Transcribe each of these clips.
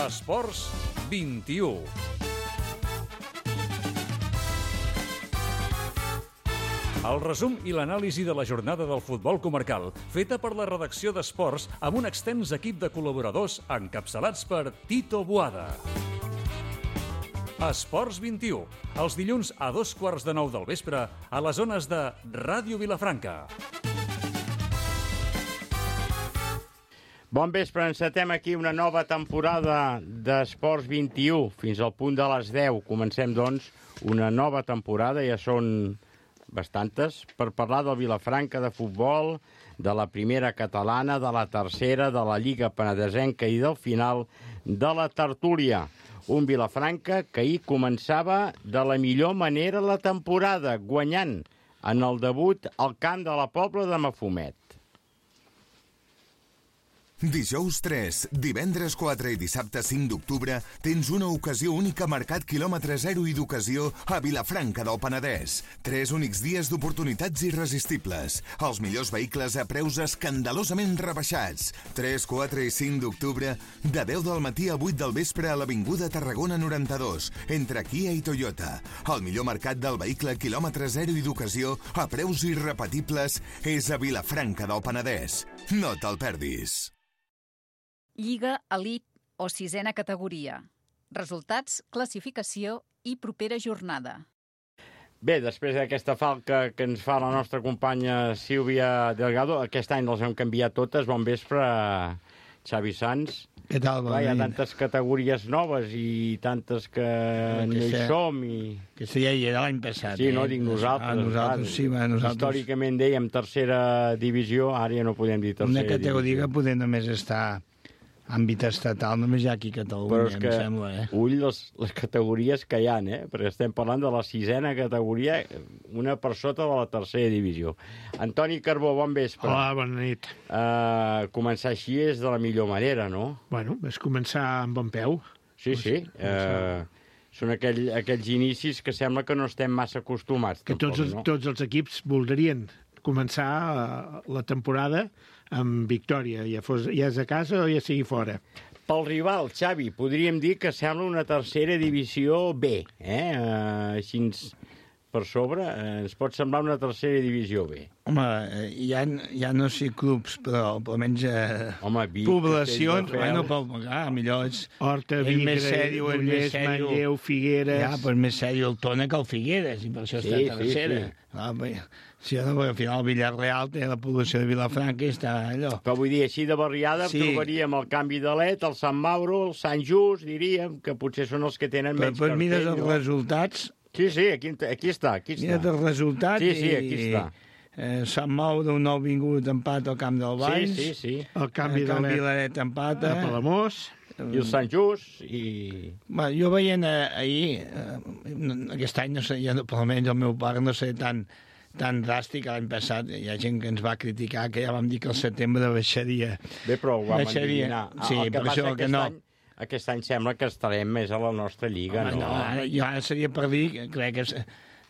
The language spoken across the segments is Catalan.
Esports 21. El resum i l'anàlisi de la jornada del futbol comarcal, feta per la redacció d'Esports amb un extens equip de col·laboradors encapçalats per Tito Boada. Esports 21, els dilluns a 8:15 del vespre a les zones de Ràdio Vilafranca. Bon vespre, encetem aquí una nova temporada d'Esports 21, fins al punt de les 10. Comencem, doncs, una nova temporada, ja són bastantes, per parlar del Vilafranca de futbol, de la primera catalana, de la tercera, de la Lliga Penedesenca i del final de la tertúlia. Un Vilafranca que ahir començava de la millor manera la temporada, guanyant en el debut al camp de la Pobla de Mafumet. Dijous 3, divendres 4 i dissabte 5 d'octubre tens una ocasió única a Mercat quilòmetre 0 i d'ocasió a Vilafranca del Penedès. 3 únics dies d'oportunitats irresistibles. Els millors vehicles a preus escandalosament rebaixats. 3, 4 i 5 d'octubre, de 10 del matí a 8 del vespre a l'Avinguda Tarragona 92, entre Kia i Toyota. El millor mercat del vehicle quilòmetre 0 i d'ocasió a preus irrepetibles és a Vilafranca del Penedès. No te'l perdis. Lliga Elite o sisena categoria. Resultats, classificació i propera jornada. Bé, després d'aquesta falca que ens fa la nostra companya Sílvia Delgado, aquest any les hem canviat totes. Bon vespre, Xavi Sans. Què tal? Clar, hi ha tantes categories noves i tantes que no hi som. Que això ja hi era l'any passat. Sí, no, dic nosaltres. Nosaltres, sí, nosaltres. Històricament dèiem tercera divisió, ara ja no podem dir tercera divisió. Una categoria que poder només estar àmbit estatal, només hi ha aquí a Catalunya, em sembla. Ull les categories que hi ha, perquè estem parlant de la sisena categoria, una per sota de la tercera divisió. Antoni Carbó, bon vespre. Hola, bona nit. Començar així és de la millor manera, no? Bueno, és començar amb bon peu. Sí. Són aquells inicis que sembla que no estem massa acostumats. Que tots els equips voldrien començar la temporada amb victòria, ja és a casa o ja sigui fora. Pel rival, Xavi, podríem dir que sembla una tercera divisió B, així per sobre, ens pot semblar una tercera divisió B. Home, ja no sé clubs, però almenys poblacions, millor és... Horta, Vigre, Ullers, Manlleu, Figueres... Ja, però és més sèrio el Tona que el Figueres, i per això està tercera. Si al final el Villarreal té la població de Vilafranca i està allò. Però vull dir, així de barriada trobaríem el Canvi de Let, el Sant Mauro, el Sant Just, diríem, que potser són els que tenen menys cartell. Però mires els resultats... Sí, aquí està. Mira't els resultats i aquí està. Sant Mauro, un nou vingut, empat al Camp del Valls. Sí. El Canvi de Let empata. A Palamós. I el Sant Just. Jo veient ahir, aquest any, no sé, almenys el meu pare no sé tan dràstic. L'any passat hi ha gent que ens va criticar, que ja vam dir que el setembre baixaria. Bé, però ho vam endevinar. Sí, per això que no. Aquest any sembla que estarem més a la nostra lliga, no? Jo ara seria per dir, crec que,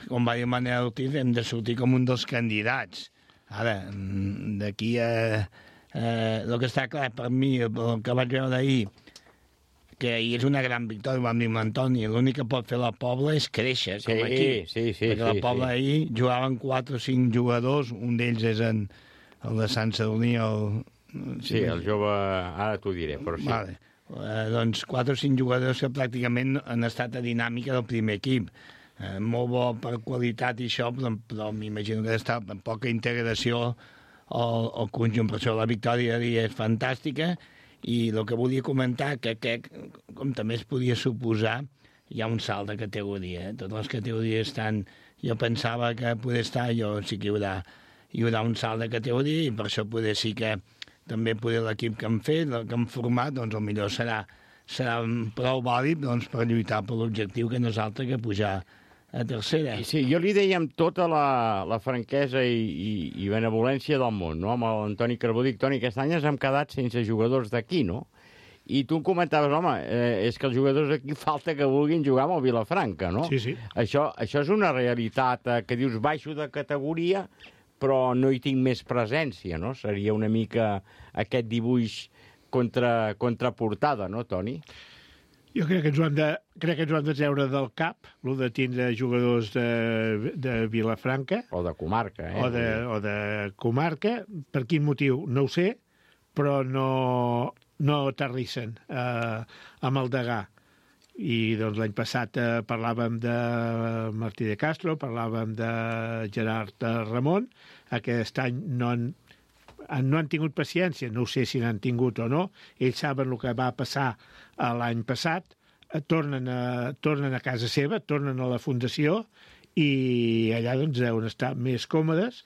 com va dir Manel Ortiz, hem de sortir com un dels candidats. Ara, d'aquí a... el que està clar per mi, el que vaig veure ahir, que ahir és una gran victòria, vam dir amb l'Antoni, l'únic que pot fer la Pobla és créixer, com aquí. Sí. Perquè la Pobla ahir jugaven 4 o 5 jugadors, un d'ells és el de Sant Sadurní, Sí, el jove, ara t'ho diré, però sí. Vale. Doncs 4 o 5 jugadors que pràcticament han estat a dinàmica del primer equip. Molt bo per qualitat i això, però m'imagino que està amb poca integració al conjunt. Per això la victòria és fantàstica i el que volia comentar, que com també es podia suposar, hi ha un salt de categoria. Totes les categories estan... Jo pensava que poder estar, sí que hi haurà un salt de categoria i per això poder sí que també l'equip que hem fet, que hem format, doncs el millor serà prou vàlid per lluitar per l'objectiu que no és altre que pujar a tercera. Sí, jo li deia amb tota la franquesa i benevolència del món, no? Amb l'Antoni Carbó, dic, Toni, aquest any ens hem quedat sense jugadors d'aquí, no? I tu em comentaves, home, és que els jugadors d'aquí falta que vulguin jugar amb el Vilafranca, no? Sí. Això és una realitat que dius baixo de categoria, però no hi tinc més presència, no? Seria una mica aquest dibuix contraportada, no, Toni? Jo crec que ens ho han de treure del cap, el de tindre jugadors de Vilafranca. O de comarca, O de comarca. Per quin motiu? No ho sé, però no aterrissen amb el Degà. I doncs l'any passat parlàvem de Martí de Castro, parlàvem de Gerard Ramon. Aquest any no han tingut paciència, no sé si n'han tingut o no. Ells saben el que va passar l'any passat, tornen a casa seva, tornen a la fundació i allà doncs deuen estar més còmodes.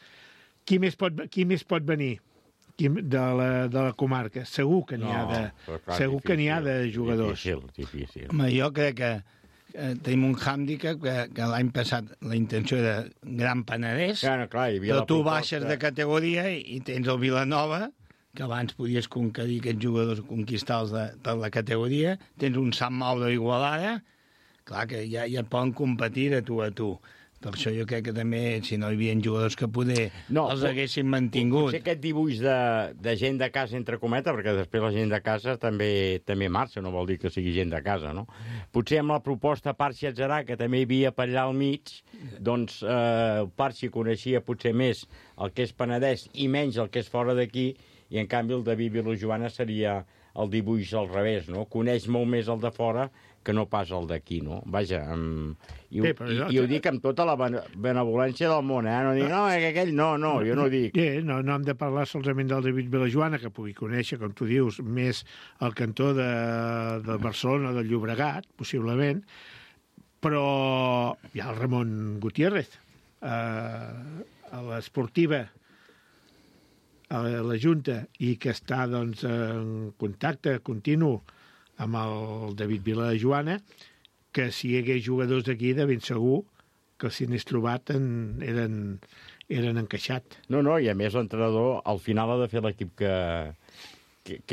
Qui més pot venir de la comarca? Segur que n'hi ha de jugadors. Difícil. Home, jo crec que tenim un hàndicap que l'any passat la intenció era Gran Penedès, però tu baixes de categoria i tens el Vilanova, que abans podies conquerir aquests jugadors, conquistar-los per la categoria, tens un Sant Mauro Igualada, clar que ja et poden competir de tu a tu. Per això jo crec que també, si no hi havia jugadors que poder els haguessin mantingut. Potser aquest dibuix de gent de casa, entre cometes, perquè després la gent de casa també marxa, no vol dir que sigui gent de casa, no? Potser amb la proposta Parxi-Atzarà, que també hi havia per allà al mig, doncs Parxi coneixia potser més el que és Penedès i menys el que és fora d'aquí, i en canvi el David Vilajoana seria el dibuix al revés, no? Coneix molt més el de fora que no pas el d'aquí, no? Vaja, i ho dic amb tota la benevolència del món, no dic, no, aquell no, jo no ho dic. No hem de parlar solament del David Vilajoana, que pugui conèixer, com tu dius, més el cantó de Barcelona, del Llobregat, possiblement, però hi ha el Ramon Gutiérrez, a l'esportiva, a la Junta, i que està doncs, en contacte continu amb el David Vilajoana, que si hi hagués jugadors d'aquí, de ben segur que si n'és trobat eren encaixat. No, i a més l'entrenador al final ha de fer l'equip que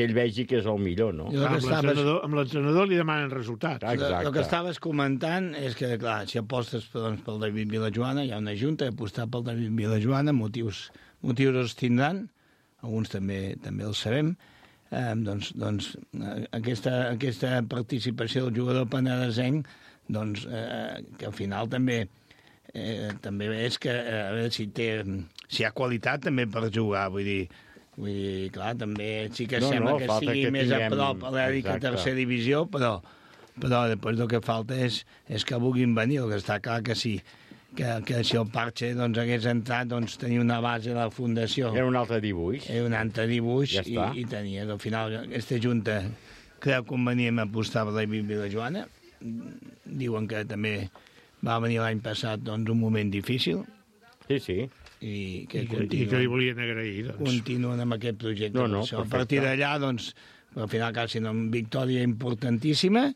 ell vegi que és el millor, no? Amb l'entrenador li demanen resultats. Exacte. El que estaves comentant és que, clar, si apostes pel David Vilajoana, hi ha una junta, apostar pel David Vilajoana, motius els tindran, alguns també els sabem. Doncs aquesta participació del jugador penedesenc, doncs, que al final també és que a veure si hi ha qualitat també per jugar, vull dir, clar, també sí que sembla que sigui més a prop a l'èlica tercera divisió, però després el que falta és que vulguin venir. El que està clar que sí, que si el Parche hagués entrat, tenia una base de la fundació. Era un altre dibuix. Ja i tenia. Al final, aquesta junta creu convenient apostar per la Vilajoana. Diuen que també va venir l'any passat un moment difícil. Sí. I que li volien agrair. Continuen amb aquest projecte. A partir d'allà, al final, quasi una victòria importantíssima,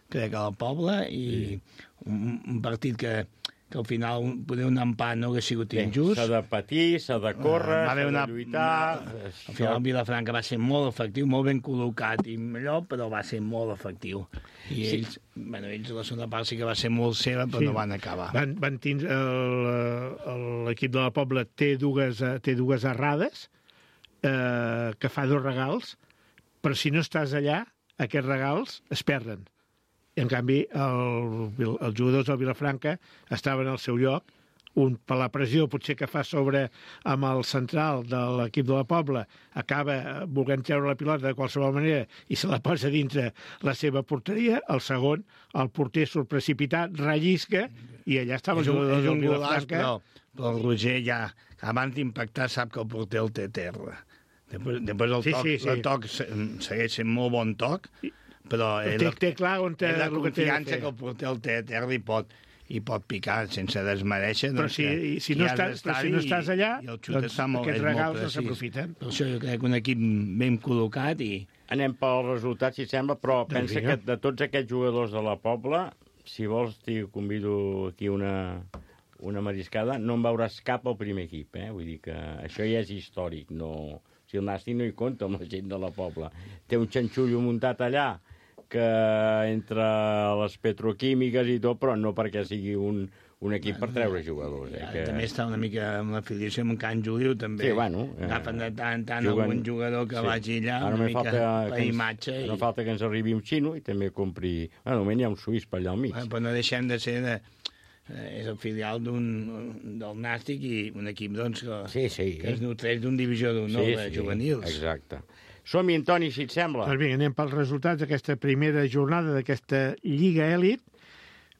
crec que al poble, i un partit que al final poder un empat no hagués sigut injust. S'ha de patir, s'ha de córrer, s'ha de lluitar... Al final el Vilafranca va ser molt efectiu, molt ben col·locat i millor, però va ser molt efectiu. I ells, la segona part sí que va ser molt seva, però no van acabar. Van tindre... L'equip de la Pobla té dues errades, que fa 2 regals, però si no estàs allà, aquests regals es perden. I, en canvi, els jugadors del Vilafranca estaven al seu lloc, un per la pressió potser que fa sobre amb el central de l'equip de la Pobla, acaba volent treure la pilota de qualsevol manera i se la posa dintre la seva porteria, el segon, el porter surt precipitat, rellisca, i allà estava el jugador del Vilafranca. Però el Roger ja, abans d'impactar, sap que el porter el té a terra. Després el toc segueix sent molt bon toc, però té clar on té la confiança que el porter el té a terra i pot picar sense desmereixer. Però si no estàs allà, doncs aquests regals no s'aprofiten. Per això jo crec que un equip ben col·locat i... Anem pel resultat, si sembla, però pensa que de tots aquests jugadors de la Pobla, si vols, t'hi convido aquí una mariscada, no en veuràs cap al primer equip, Vull dir que això ja és històric, no... Si el Nasti no hi compta amb la gent de la Pobla. Té un xanxullo muntat allà, que entre les petroquímiques i tot, però no perquè sigui un un equip per treure jugadors. També està una mica amb l'afiliació amb Can Juliu, també. Sí, bueno. Agafen de tant en tant algun jugador que vagi allà, una mica per imatge. No falta que ens arribi un xino i també compri... Bueno, almenys hi ha un suís per allà al mig. Però no deixem de ser... És el filial del Nàstic i un equip doncs, que es nutreix d'un divisió d'honor de juvenils. Exacte. Som-hi, Antoni, si et sembla. Doncs vinga, anem pels resultats d'aquesta primera jornada d'aquesta Lliga Elit.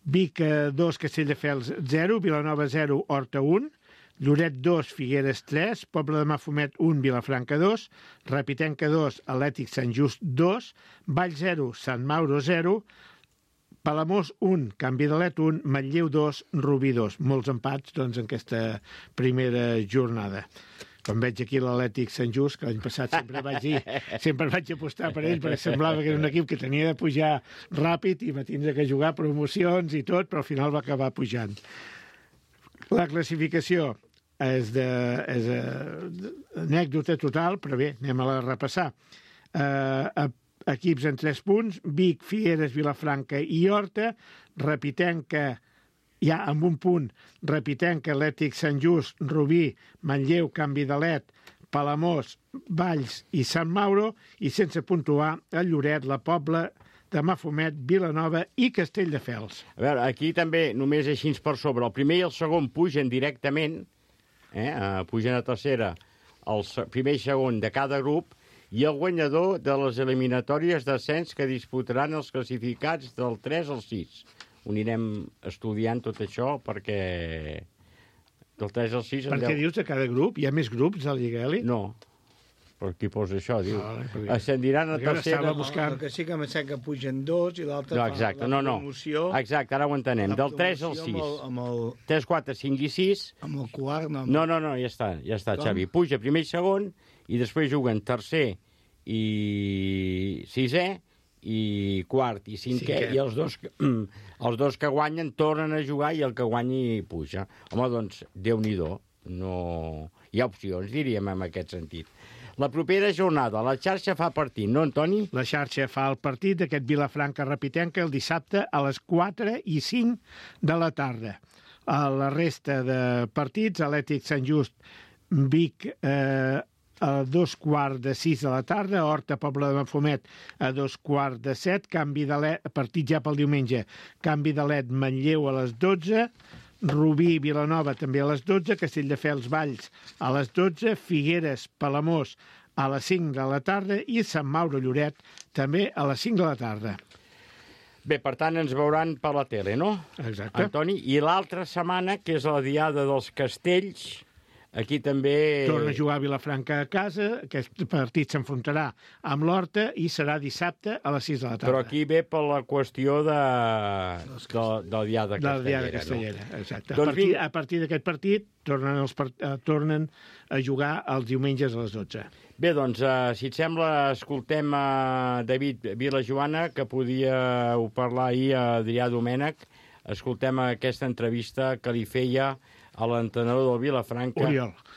Vic 2, Castelldefels 0, Vilanova 0, Horta 1, Lloret 2, Figueres 3, Pobla de Mafumet 1, Vilafranca 2, Repitenca 2, Atlètic Sant Just 2, Vall 0, Sant Mauro 0, Palamós 1, Can Vidalet 1, Manlleu 2, Rubí 2. Molts empats doncs, en aquesta primera jornada. Com veig aquí l'Atlètic Sant Just, que l'any passat sempre vaig apostar per ell, perquè semblava que era un equip que tenia de pujar ràpid i va tindre que jugar promocions i tot, però al final va acabar pujant. La classificació és anècdota total, però bé, anem a la repassar. Equips en 3 punts, Vic, Figueres, Vilafranca i Horta, Repitenca ja amb un punt, Repitenca, Atlètic Sant Just, Rubí, Manlleu, Can Vidalet, Palamós, Valls i Sant Mauro, i sense puntuar el Lloret, la Pobla de Mafumet, Vilanova i Castelldefels. A veure, aquí també només així per sobre. El primer i el segon pugen directament, pugen a tercera el primer i segon de cada grup, i el guanyador de les eliminatòries d'ascens que disputaran els classificats del 3 al 6. Ho anirem estudiant tot això perquè del 3 al 6... Per què dius de cada grup? Hi ha més grups a la Lliga Elit? No, per qui posa això, diu. Ascendiran a tercera... El que sí que em sembla que pugen 2 i l'altre fa la promoció... Exacte, ara ho entenem. Del 3 al 6. 3, 4, 5 i 6... Amb el quart... No, ja està, Xavi. Puja primer i segon i després juguen tercer i sisè i quart i cinquè, i els dos que guanyen tornen a jugar i el que guanyi puja. Home, doncs, Déu-n'hi-do. No... Hi ha opcions, diríem, en aquest sentit. La propera jornada, la xarxa fa partit, no, Antoni? La xarxa fa el partit d'aquest Vilafranca-Repitenca el dissabte a les 4 i 5 de la tarda. A la resta de partits, Atlètic Sant Just, Vic, a 2:15 de la tarda, Horta, Pobla de Mafumet, a 2:15, Can Vidalet, partit ja pel diumenge, Can Vidalet, Manlleu a les 12, Rubí, Vilanova també a les 12, Castelldefels, Valls a les 12, Figueres, Palamós a les 5 de la tarda i Sant Mauro, Lloret també a les 5 de la tarda. Bé, per tant, ens veuran per la tele, no? Exacte. Antoni, i l'altra setmana, que és la Diada dels Castells, aquí també... Torna a jugar a Vilafranca a casa, aquest partit s'enfrontarà amb l'Horta i serà dissabte a les 6 de la tarda. Però aquí ve per la qüestió del Diada Castellera. No? Exacte. Doncs a partir d'aquest partit tornen a jugar els diumenges a les 12. Bé, doncs, si et sembla, escoltem a David Vilajoana, que podíeu parlar ahir a Adrià Domènech. Escoltem aquesta entrevista que li feia a l'entrenador del Vilafranca,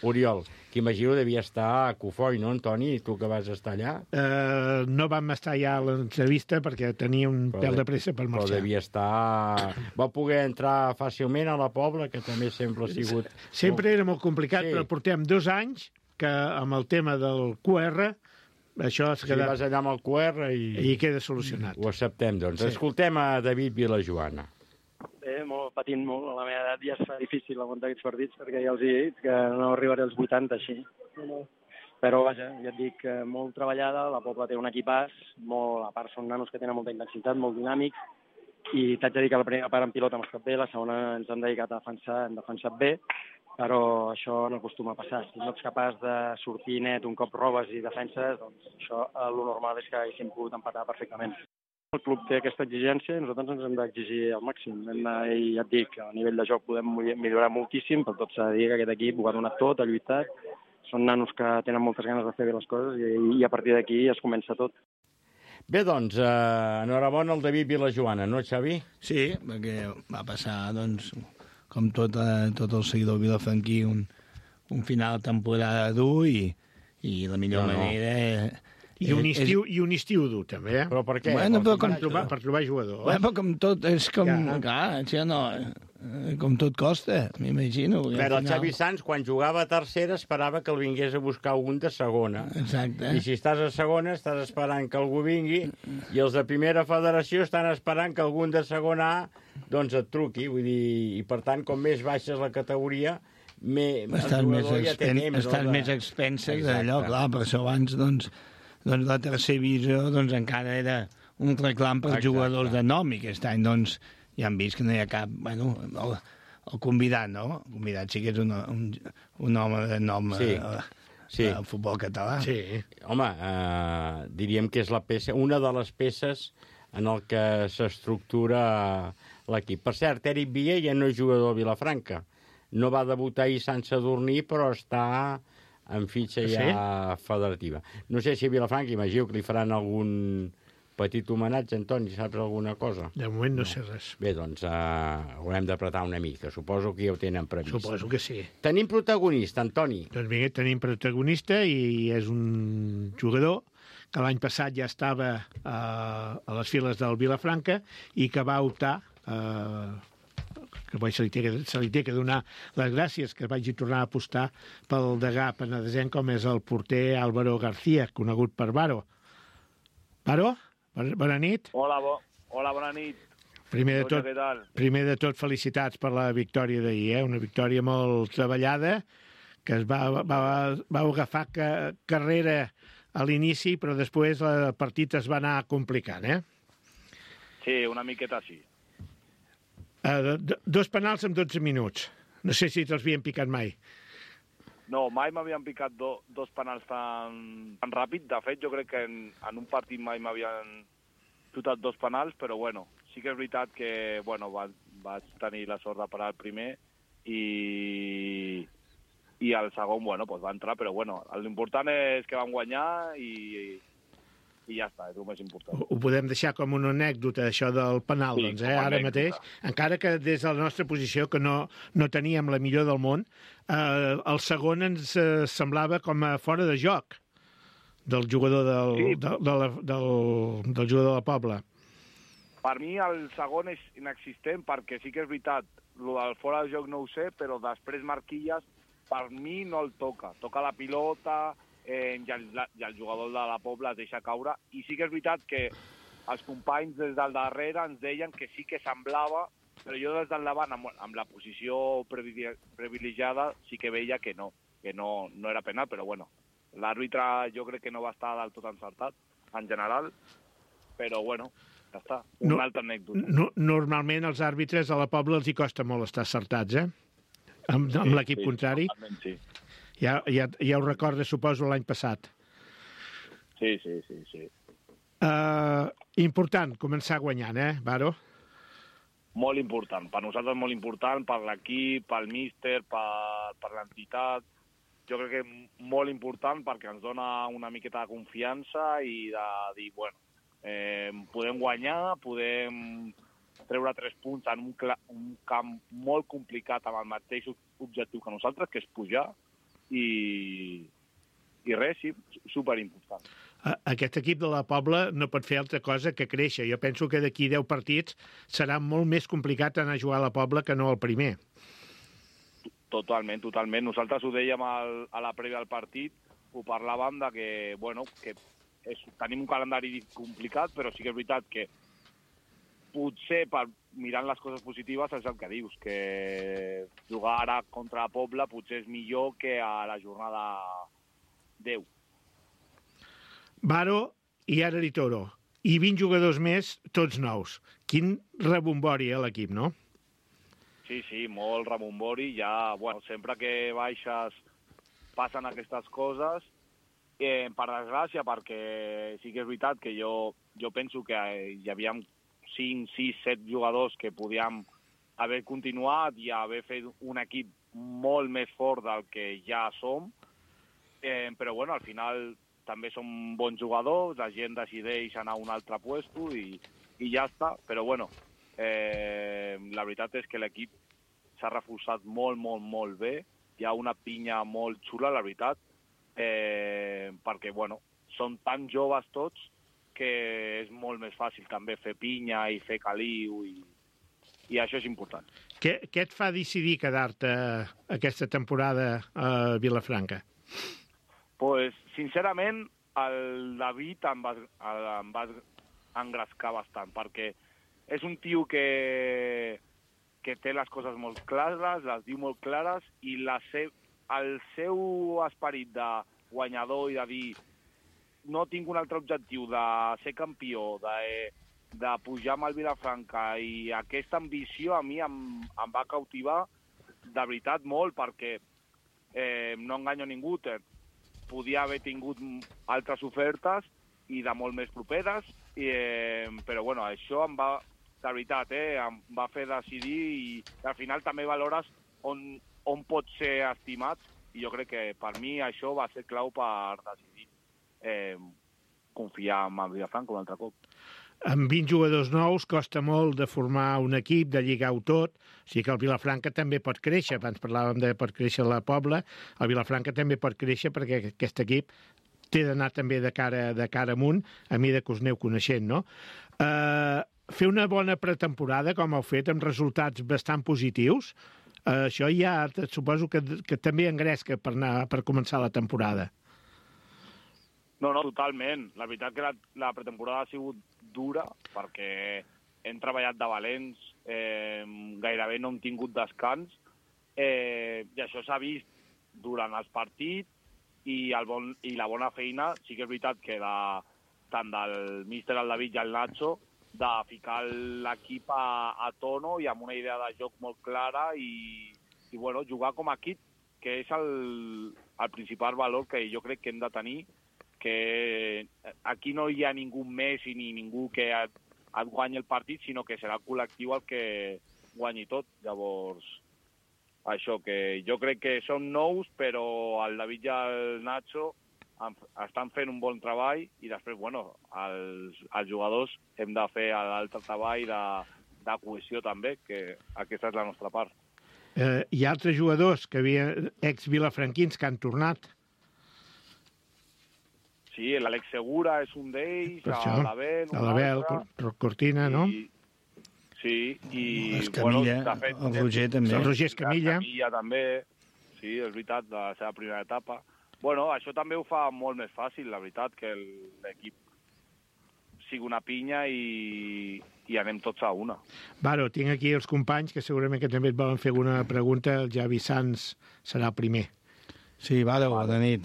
Oriol, que imagino devia estar a Cofoi, no, Antoni? Tu que vas estar allà? No vam estar allà a l'entrevista perquè tenia un pèl de pressa per marxar. Però devia estar... Va poder entrar fàcilment a la Pobla, que també sempre ha sigut... Sempre era molt complicat, però portem 2 anys que amb el tema del QR això es queda... vas allà amb el QR i queda solucionat. Ho acceptem, doncs. Sí. Escoltem a David Vilajoana. Patint molt, a la meva edat ja es fa difícil aguantar aquests partits perquè ja els he dit que no arribaré als 80 així. Però vaja, ja et dic, molt treballada, la Pobla té un equipàs, a part són nanos que tenen molta intensitat, molt dinàmics, i t'haig de dir que la primera part en pilota hem estat bé, la segona ens hem dedicat a defensar, hem defensat bé, però això no acostuma a passar. Si no ets capaç de sortir net un cop robes i defenses, doncs això el normal és que haguéssim pogut empatar perfectament. El club té aquesta exigència i nosaltres ens hem d'exigir al màxim. I ja et dic, a nivell de joc podem millorar moltíssim, però tot s'ha de dir que aquest equip ho ha donat tot, ha lluitat. Són nanos que tenen moltes ganes de fer bé les coses i a partir d'aquí es comença tot. Bé, doncs, enhorabona al David Vilajoana, no, Xavi? Sí, perquè va passar, doncs, com tot el seguidor vilafranquí, un final de temporada dur i la millor manera... I un estiu dur, també, eh? Però per què? Bueno, per trobar jugador. Bueno, però com tot, és com... Clar, això no... com tot costa, m'imagino. Però el Xavi Sanz, quan jugava a tercera, esperava que el vingués a buscar algun de segona. Exacte. I si estàs a segona, estàs esperant que algú vingui, i els de primera federació estan esperant que algun de segona A doncs et truqui. Vull dir, i per tant, com més baixes la categoria, estan més expenses d'allò, clar, per això abans, doncs la tercera divisió, doncs encara era un reclam per jugadors de nom, i aquest any, doncs, ja han vist que no hi ha cap... Bueno, el convidat, no? El convidat sí que és un home de nom al futbol català. Sí. Home, diríem que és una de les peces en el que s'estructura l'equip. Per cert, Eric Villa ja no és jugador a Vilafranca. No va debutar ahir Sant Sadurní, però està en fitxa ja federativa. No sé si a Vilafranca, imagino que li faran algun petit homenatge, Antoni, saps alguna cosa? De moment no sé res. Bé, doncs haurem d'apretar una mica. Suposo que ja ho tenen previst. Suposo que sí. Tenim protagonista, Antoni. Doncs bé, tenim protagonista i és un jugador que l'any passat ja estava a les files del Vilafranca i que va optar que se li té que donar les gràcies que vagi tornar a apostar pel degà penedesenc com és el porter Álvaro García, conegut per Varo. Varo? Bona nit. Hola, bona nit. Primer de tot, felicitats per la victòria d'ahir, una victòria molt treballada, que es va agafar carrera a l'inici, però després el partit es va anar complicant, Sí, una miqueta sí. 2 penals en 12 minuts. No sé si te'ls havien picat mai. No, mai m'havien picat dos penals tan ràpid. De fet, jo crec que en un partit mai m'havien xutat 2 penals, però bueno, sí que és veritat que vaig tenir la sort de parar el primer i el segon, va entrar, però l'important és que vam guanyar i ja està, és el més important. Ho podem deixar com una anècdota, això del penal, sí, doncs, ara mateix. Encara que des de la nostra posició, que no teníem la millor del món, el segon ens semblava com a fora de joc del jugador del jugador del Poble. Per mi el segon és inexistent, perquè sí que és veritat, el fora de joc no ho sé, però després Marquilles, per mi no el toca. Toca la pilota, i el jugador de la Pobla es deixa caure, i sí que és veritat que els companys des del darrere ens deien que sí que semblava, però jo des del davant, amb la posició privilegiada, sí que veia que no era penal, però l'àrbitre jo crec que no va estar del tot encertat, en general, però ja està, una altra anècdota. Normalment els àrbitres a la Pobla els hi costa molt estar acertats, amb l'equip contrari. Sí. Ja ho recordes, suposo, l'any passat. Sí. Important, començar guanyant, Varo? Molt important. Per nosaltres molt important, per l'equip, pel míster, per l'entitat. Jo crec que molt important perquè ens dona una miqueta de confiança i de dir, podem guanyar, podem treure 3 punts en un camp molt complicat amb el mateix objectiu que nosaltres, que és pujar, i res, sí, superimportant. Aquest equip de la Pobla no pot fer altra cosa que créixer. Jo penso que d'aquí 10 partits serà molt més complicat anar a jugar a la Pobla que no al primer. Totalment. Nosaltres ho dèiem a la prèvia del partit, ho parlàvem de que tenim un calendari complicat, però sí que és veritat que potser mirant les coses positives és el que dius, que jugar ara contra la Pobla potser és millor que a la jornada 10. Varo i ara Toro. I 20 jugadors més, tots nous. Quin rebombori a l'equip, no? Sí, molt rebombori. Ja, sempre que baixes passen aquestes coses. Per desgràcia, perquè sí que és veritat que jo penso que hi havia 5, 6, 7 jugadors que podíem haver continuat i haver fet un equip molt més fort del que ja som, però al final també som bons jugadors, la gent decideix anar a un altre puesto i ja està, però la veritat és que l'equip s'ha reforçat molt, molt, molt bé, hi ha una pinya molt xula, la veritat, perquè són tan joves tots que és molt més fàcil també fer pinya i fer caliu i això és important. Què et fa decidir quedar-te aquesta temporada a Vilafranca? Pues, sincerament, el David em va engrescar bastant, perquè és un tio que té les coses molt clares, les diu molt clares, i el seu esperit de guanyador i de dir no tinc un altre objectiu de ser campió, de pujar amb el Vilafranca, i aquesta ambició a mi em va cautivar de veritat molt, perquè no enganyo ningú, podia haver tingut altres ofertes i de molt més properes, però bueno, això em va, de veritat, em va fer decidir, i al final també valores on pots ser estimat, i jo crec que per mi això va ser clau per decidir confiar en el Vilafranca un altre cop. Amb 20 jugadors nous costa molt de formar un equip, de lligar-ho tot, o sigui que el Vilafranca també pot créixer. Abans parlàvem de pot créixer la Pobla, el Vilafranca també pot créixer perquè aquest equip té d'anar també de cara amunt, a mesura que us aneu coneixent, no? Fer una bona pretemporada, com heu fet, amb resultats bastant positius, això ja suposo que també engresca per començar la temporada. No, totalment. La veritat que la pretemporada ha sigut dura, perquè hem treballat de valents, gairebé no hem tingut descans, i això s'ha vist durant els partits, i la bona feina, sí que és veritat que tant del míster, el David i el Nacho, de ficar l'equip a tono i amb una idea de joc molt clara, i bueno, jugar com a equip, que és el principal valor que jo crec que hem de tenir, que aquí no hi ha ningú més i ni ningú que et guanyi el partit, sinó que serà el col·lectiu el que guanyi tot. Llavors, això, que jo crec que són nous, però el David i el Nacho estan fent un bon treball, i després, bueno, els jugadors hem de fer l'altre treball de cohesió també, que aquesta és la nostra part. Hi ha altres jugadors que ex-vilafranquins que han tornat. Sí, l'Àlex Segura és un d'ells, l'Abel, Cortina, no? Sí, i... Escamilla, bueno, de fet, el Roger també. El Roger Escamilla. Escamilla també, sí, és veritat, de la seva primera etapa. Bueno, això també ho fa molt més fàcil, la veritat, que l'equip sigui una pinya i anem tots a una. Varo, tinc aquí els companys que segurament que també et volen fer alguna pregunta. El Javi Sanz serà el primer. Sí, Varo, bona nit.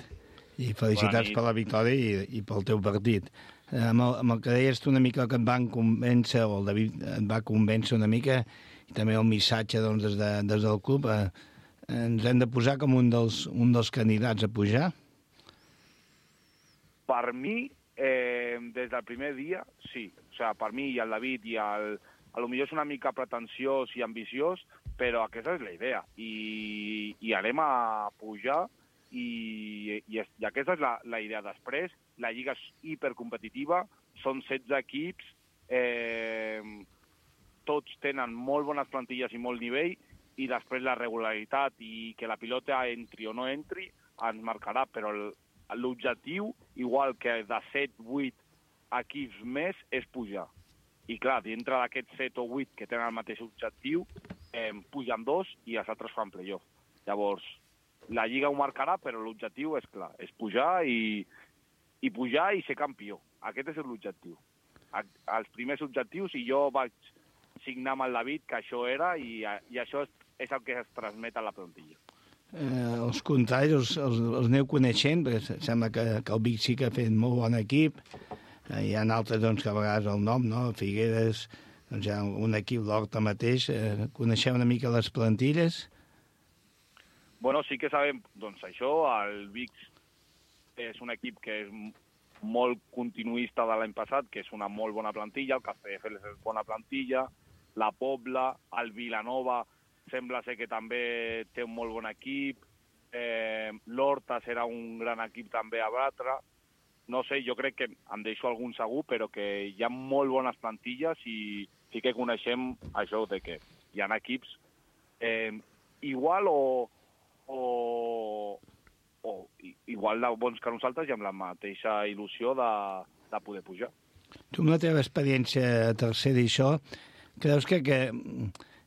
I felicitats per la victòria i pel teu partit. Amb el que deies tu una mica que et van convèncer, o el David et va convèncer una mica, i també el missatge doncs, des del club, ens hem de posar com un dels candidats a pujar? Per mi, des del primer dia, sí. O sigui, per mi i el David, potser és una mica pretensiós i ambiciós, però aquesta és la idea. I anem a pujar, i aquesta és la idea. Després, la lliga és hipercompetitiva, són 16 equips, tots tenen molt bones plantilles i molt nivell, i després la regularitat i que la pilota entri o no entri ens marcarà, però l'objectiu, igual que de 7-8 equips més, és pujar. I clar, dintre d'aquests 7 o 8 que tenen el mateix objectiu, pugen 2 i els altres fan playoff. Llavors, la Lliga ho marcarà, però l'objectiu és clar, és pujar i pujar i ser campió. Aquest és l'objectiu. Els primers objectius, i jo vaig signar amb el David que això era, i això és el que es transmet a la plantilla. Els contraris els aneu coneixent, perquè sembla que el Vic sí que ha fet molt bon equip. Hi ha altres doncs, que a vegades el nom, no? Figueres, doncs hi ha un equip d'Horta mateix. Coneixeu una mica les plantilles? Bueno, sí que sabem, doncs això, el Vic és un equip que és molt continuista de l'any passat, que és una molt bona plantilla, el Castelldefels és bona plantilla, la Pobla, el Vilanova sembla ser que també té un molt bon equip, l'Horta serà un gran equip també a batre. No sé, jo crec que em deixo algun segur, però que hi ha molt bones plantilles i sí que coneixem això de que hi ha equips igual o igual de bons que nosaltres i amb la mateixa il·lusió de poder pujar. Tu, amb la teva experiència a tercera i això, creus que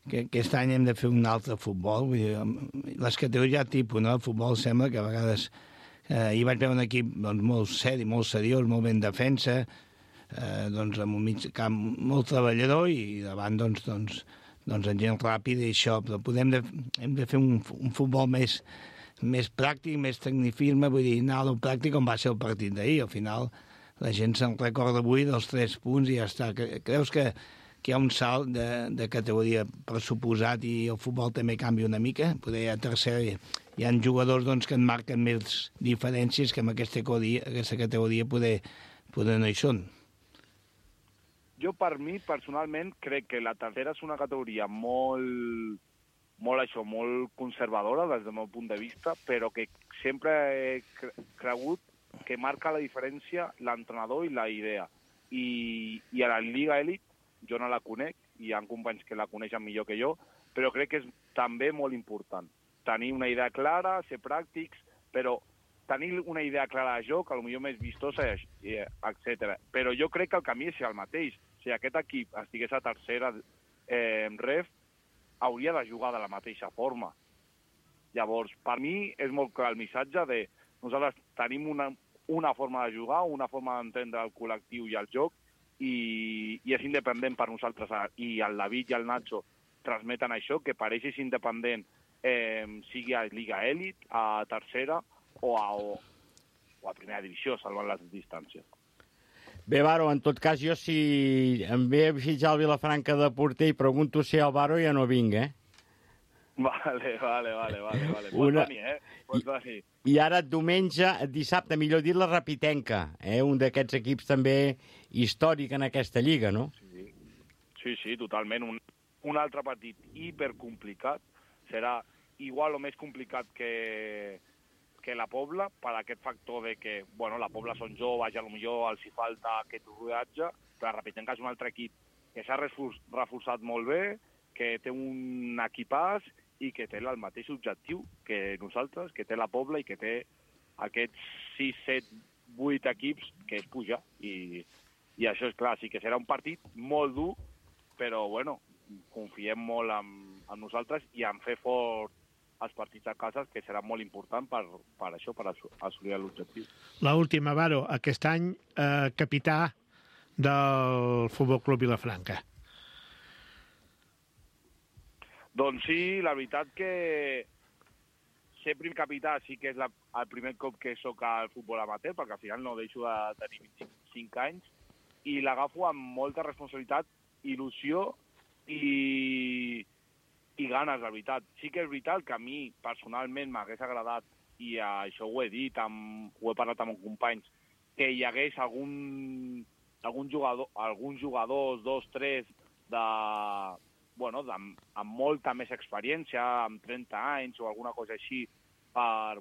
que aquest any hem de fer un altre futbol. Vull dir, les categories tipus, no? El futbol sembla que a vegades... hi vaig veure un equip doncs, molt seri, molt seriós, molt ben defensa, doncs, amb un mig camp molt treballador i davant doncs, en gent ràpida i això. Però hem de fer un futbol més pràctic, més tecnicisme, vull dir, anar a lo pràctic com va ser el partit d'ahir. Al final la gent se'n recorda avui dels 3 punts i ja està. Creus que hi ha un salt de categoria pressuposat i el futbol també canvia una mica? Poder a tercera hi ha jugadors doncs, que en marquen més diferències que en aquesta categoria poder no hi són. Jo, per mi, personalment, crec que la tercera és una categoria molt conservadora des del meu punt de vista, però que sempre he cregut que marca la diferència l'entrenador i la idea. I a la Lliga Elit, jo no la conec, i hi ha companys que la coneixen millor que jo, però crec que és també molt important. Tenir una idea clara, ser pràctics, però tenir una idea clara de joc, potser més vistosa, etc. Però jo crec que el camí és el mateix. Si aquest equip estigués a tercera ref, hauria de jugar de la mateixa forma. Llavors, per mi és molt clar el missatge de nosaltres tenim una forma de jugar, una forma d'entendre el col·lectiu i el joc, i és independent per nosaltres. I el David i el Nacho transmeten això, que per ells és independent, sigui a Lliga Elit, a tercera o a primera divisió, salvant les distàncies. Bé, Varo, en tot cas, jo si em ve a fitxar el Vilafranca de porter i pregunto si el Varo ja no vinc, Vale. Pots venir, Pots venir. I ara dissabte, millor dit, la Rapitenca, un d'aquests equips també històric en aquesta lliga, no? Sí, totalment. Un altre partit hipercomplicat. Serà igual o més complicat que la Pobla, per aquest factor de que, la Pobla són joves i potser els hi falta aquest rodatge, però la Rapitenca és un altre equip que s'ha reforçat molt bé, que té un equipàs i que té el mateix objectiu que nosaltres, que té la Pobla i que té aquests 6, 7, 8 equips, que és pujar. I això és clar, sí que serà un partit molt dur, però confiem molt en nosaltres i en fer fort els partits a casa, que serà molt important per això, per assolir l'objectiu. L'última, Varo, aquest any capità del Futbol Club Vilafranca. Doncs sí, la veritat que ser primer capità sí que és el primer cop que soc al futbol amateur, perquè al final no deixo de tenir 25 anys, i l'agafo amb molta responsabilitat, il·lusió i ganes, la veritat. Sí que és veritat que a mi, personalment, m'hagués agradat, i això ho he dit, ho he parlat amb companys, que hi hagués alguns jugadors, 2, 3, amb molta més experiència, amb 30 anys o alguna cosa així, per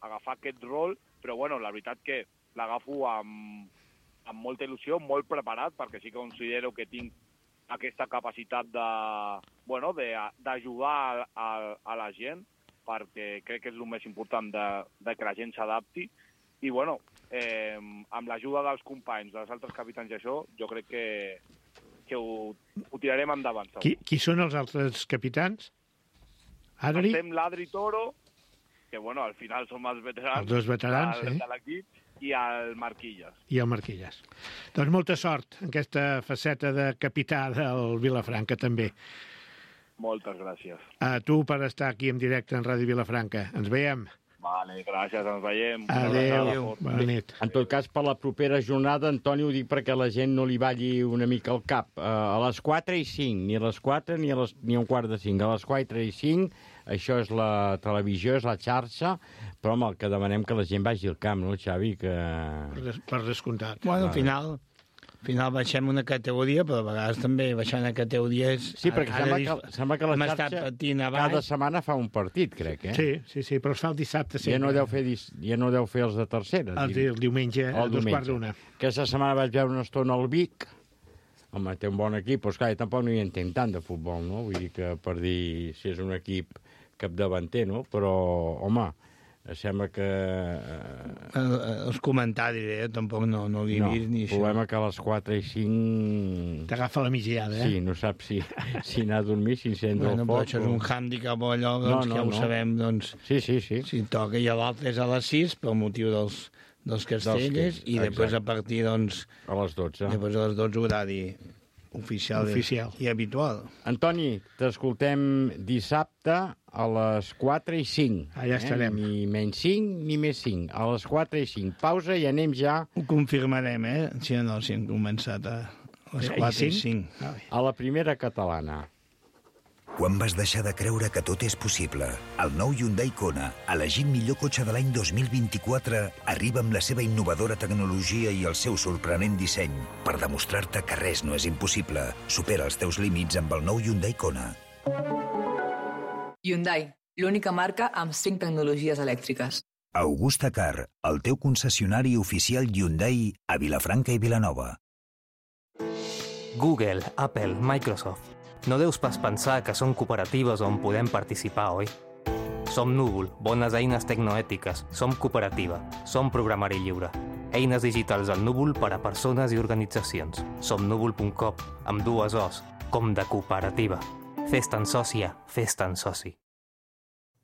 agafar aquest rol, però la veritat que l'agafo amb molta il·lusió, molt preparat, perquè sí que considero que tinc aquesta capacitat d'ajudar a la gent, perquè crec que és el més important de que la gent s'adapti. I, amb l'ajuda dels companys, dels altres capitans i això, jo crec que ho tirarem endavant. Qui són els altres capitans? Adri? Estem l'Adri Toro, que al final som els veterans, els dos veterans de l'equip, i el Marquilles. Doncs molta sort en aquesta faceta de capità del Vilafranca, també. Moltes gràcies. A tu per estar aquí en directe en Ràdio Vilafranca. Ens veiem. Vale, gràcies, ens veiem. Adéu. Bona nit. En tot cas, per la propera jornada, Antoni, ho dic perquè la gent no li balli una mica el cap. A les 4:05, ni a les 4 ni a un quart de 5. A les 4:05, això és la televisió, és la xarxa, però el que demanem que la gent vagi al camp, no, Xavi? Per descomptat. Al final baixem una categoria, però a vegades també baixant a categories... Sí, perquè sembla que la xarxa cada setmana fa un partit, crec, Sí, però es fa el dissabte sempre. Ja no deu fer els de tercera. El diumenge, a 2:45. Aquesta setmana vaig veure una estona al Vic. Home, té un bon equip, però esclar, tampoc no hi entenc tant de futbol, no? Vull dir que per dir si és un equip capdavanter, no? Però, home, Sembla que... Els comentaris, tampoc no l'he vist ni això. El problema que a les 4 i 5... T'agafa la migdiada, Sí, no saps si anar a dormir, si encens el foc... Però això és un hàndicap o allò, que ja ho sabem, doncs... Sí. Si toca i l'altre és a les 6, per motiu dels castellers, i després a partir, doncs... A les 12. Després a les 12 horari oficial i habitual. Antoni, t'escoltem dissabte a les 4 i 5. Allà estarem. Ni menys 5 ni més 5. A les 4 i 5. Pausa i anem ja... Ho confirmarem, si hem començat a les 4 i 5. A la primera catalana. Quan vas deixar de creure que tot és possible? El nou Hyundai Kona, elegit millor cotxe de l'any 2024, arriba amb la seva innovadora tecnologia i el seu sorprenent disseny per demostrar-te que res no és impossible. Supera els teus límits amb el nou Hyundai Kona. Hyundai, l'única marca amb 5 tecnologies elèctriques. Augusta Car, el teu concessionari oficial Hyundai a Vilafranca i Vilanova. Google, Apple, Microsoft. No deus pas pensar que són cooperatives on podem participar, oi? Som Núvol, bones eines tecnoètiques. Som cooperativa. Som programari lliure. Eines digitals al Núvol per a persones i organitzacions. Som núvol.com, amb 2 O's, com de cooperativa. Fes-te'n sòcia, fes-te'n soci.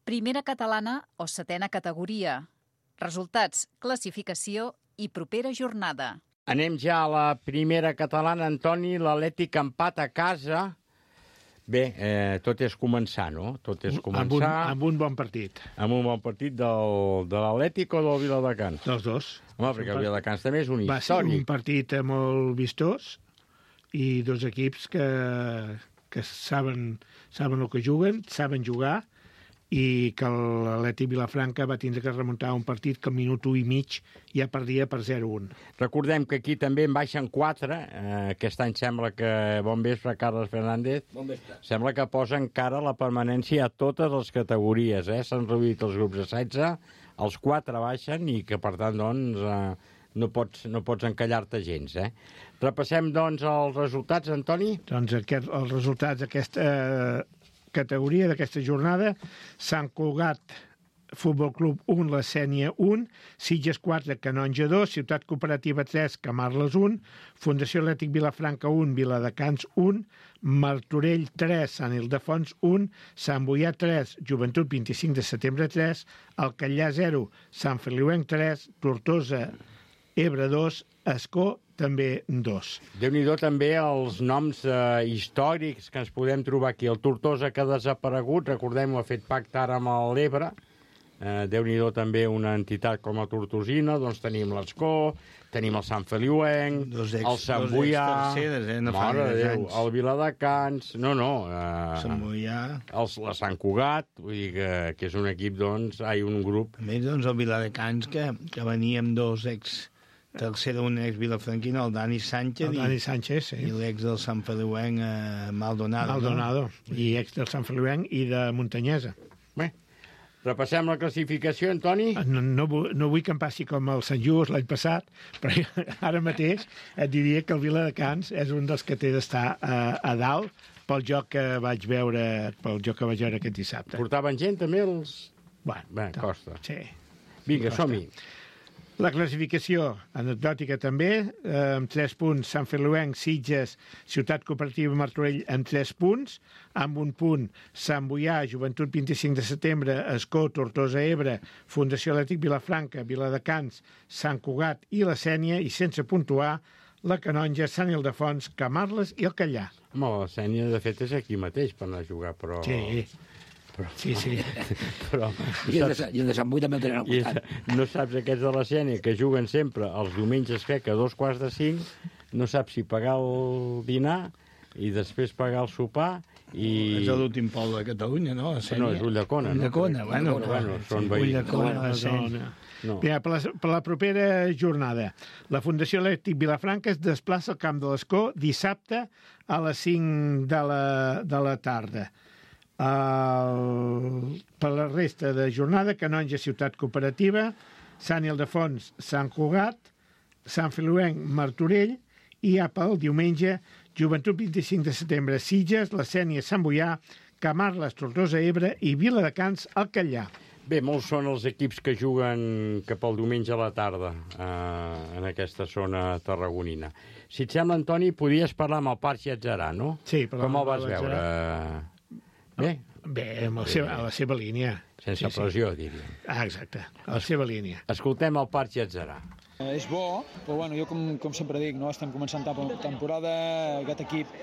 Primera catalana o setena categoria. Resultats, classificació i propera jornada. Anem ja a la primera catalana, Antoni. L'Atlètic empat a casa. Bé, tot és començar, no? Tot és començar... Amb un bon partit. Amb un bon partit de l'Atlètic o del Viladecans? Dels dos. Home, perquè el Viladecans també és un històric. Va ser un partit molt vistós i dos equips que saben el que juguen, saben jugar, i que l'Atlètic Vilafranca va tindre que remuntar un partit que al minut 1 i mig ja perdia per 0-1. Recordem que aquí també en baixen 4. Aquest any sembla que... Bon vespre, Carles Fernández. Bon vespre. Sembla que posa encara la permanència a totes les categories. S'han reduït els grups de 16, els 4 baixen i que, per tant, doncs, no pots encallar-te gens. Repassem, doncs, els resultats, Antoni? Doncs els resultats d'aquesta categoria d'aquesta jornada: Sant Cugat Futbol Club 1, la Sénia 1, Sitges 4, Canonja 2, Ciutat Cooperativa 3, Camarles 1, Fundació Atlètic Vilafranca 1, Viladecans 1, Martorell 3, Sant Ildefons 1, Sant Boià 3, Joventut 25 de setembre 3, Alcallà 0, Sant Feliuenc 3, Tortosa Ebre 2, Escó també 2. Déu-n'hi-do també els noms històrics que ens podem trobar aquí. El Tortosa, que ha desaparegut, recordem-ho, ha fet pacte ara amb l'Ebre. Déu-n'hi-do també una entitat com la Tortosina. Doncs tenim l'Escó, tenim el Sant Feliuenc, el Sant Boià, mare de Déu, el Viladecans, Sant Boià, la Sant Cugat, vull dir que és un equip, doncs, un grup. A més, doncs, el Viladecans, que venia amb dos tercer d'un ex-vilafranquino, el Dani Sánchez, sí. I l'ex del Sant Feliuenc, Maldonado. I ex del Sant Feliuenc i de Muntanyesa. Bé, repassem la classificació, Antoni? No vull que em passi com el Sant Just l'any passat, però ara mateix et diria que el Viladecans és un dels que té d'estar a dalt pel joc que vaig veure aquest dissabte. Portaven gent també els... Bé, costa. Sí. Vinga, som-hi. La classificació anecdòtica també, amb 3 punts, Sant Feliuenc, Sitges, Ciutat Cooperativa Martorell amb 3 punts, amb 1 punt, Sant Boià, Joventut 25 de setembre, Escó, Tortosa Ebre, Fundació Atlètic Vilafranca, Viladecans, Sant Cugat i la Sénia, i sense puntuar, la Canonja, Sant Ildefons, Camarles i el Callà. Home, la Sénia, de fet, és aquí mateix per anar a jugar, però... Sí. Però, I el de Sant Boi també el tenen al costat. No saps aquests de la Sénia, que juguen sempre els diumenges, crec que a 2:45, no saps si pagar el dinar i després pagar el sopar i... És l'últim poble de Catalunya, no? No, és Ulldecona. Ulldecona, bueno, són veïns. Ulldecona, no. Per la propera jornada, la Fundació Atlètic Vilafranca es desplaça al Camp de l'Escó dissabte a les 5 de la tarda. Per la resta de jornada, Canonja, Ciutat Cooperativa, Sant Ildefons, Sant Cugat, Sant Feliuenc, Martorell, i pel diumenge, Joventut 25 de setembre, Sitges, la Sénia, Sant Boià, Camarles, Tortosa Ebre i Viladecans, Alcallà. Bé, molts són els equips que juguen cap al diumenge a la tarda en aquesta zona tarragonina. Si et sembla, Antoni, podries parlar amb el Parc Llatzerà, no? Sí, com el vas veure? Bé? Bé, a la seva línia. Sense pressió, diríem. Exacte, a la seva línia. Escoltem el Parc Llatzerà. És bo, però bueno, jo com sempre dic, no? Estem començant temporada, aquest equip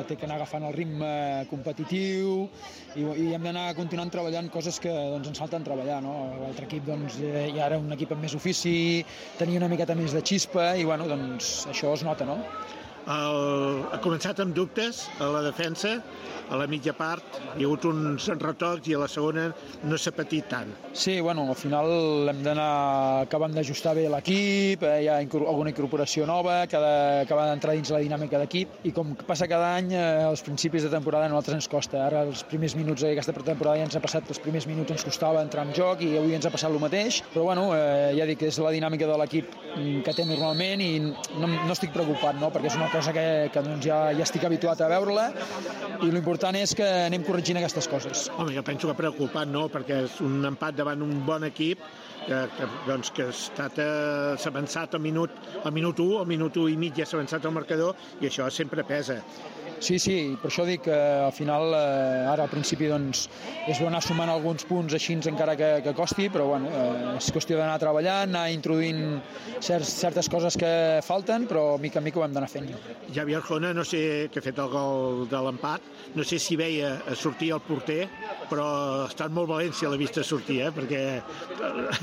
té que anar agafant el ritme competitiu i hem d'anar continuant treballant coses que ens falten treballar, no? L'altre equip ja era un equip amb més ofici, tenia una miqueta més de xispa i bueno, doncs això es nota, no? Ha començat amb dubtes a la defensa, a la mitja part hi ha hagut uns retocs i a la segona no s'ha patit tant. Sí, bueno, al final hem d'anar acabant d'ajustar bé l'equip, hi ha alguna incorporació nova que ha d'acabar d'entrar dins la dinàmica d'equip i com passa cada any, als principis de temporada a nosaltres ens costa. Ara els primers minuts d'aquesta temporada ja ens ha passat que els primers minuts ens costava entrar en joc i avui ens ha passat el mateix, però bueno, ja dic que és la dinàmica de l'equip que té normalment i no estic preocupat, no? Perquè és una cosa que doncs ja estic habituat a veure-la i l'important és que anem corregint aquestes coses. Home, jo penso que preocupat no, perquè és un empat davant un bon equip que s'ha avançat al minut 1, al minut 1 i mig ja s'ha avançat el marcador i això sempre pesa. Sí, per això dic que al final, ara al principi doncs, és bo anar sumant alguns punts així encara que costi, però bueno, és qüestió d'anar treballant, anar introduint certes coses que falten, però mica en mica ho hem d'anar fent. Javi Arjona, no sé, que ha fet el gol de l'empat, no sé si veia sortir el porter, però ha estat molt valent si l'ha vist sortir, perquè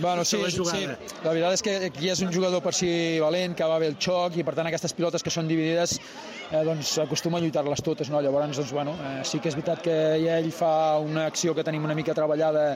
bueno, sí, la veritat és que aquí és un jugador per si valent, que va bé el xoc, i per tant aquestes pilotes que són dividides doncs acostuma a lluitar-les totes, no? Llavors, doncs, bueno, sí que és veritat que ell fa una acció que tenim una mica treballada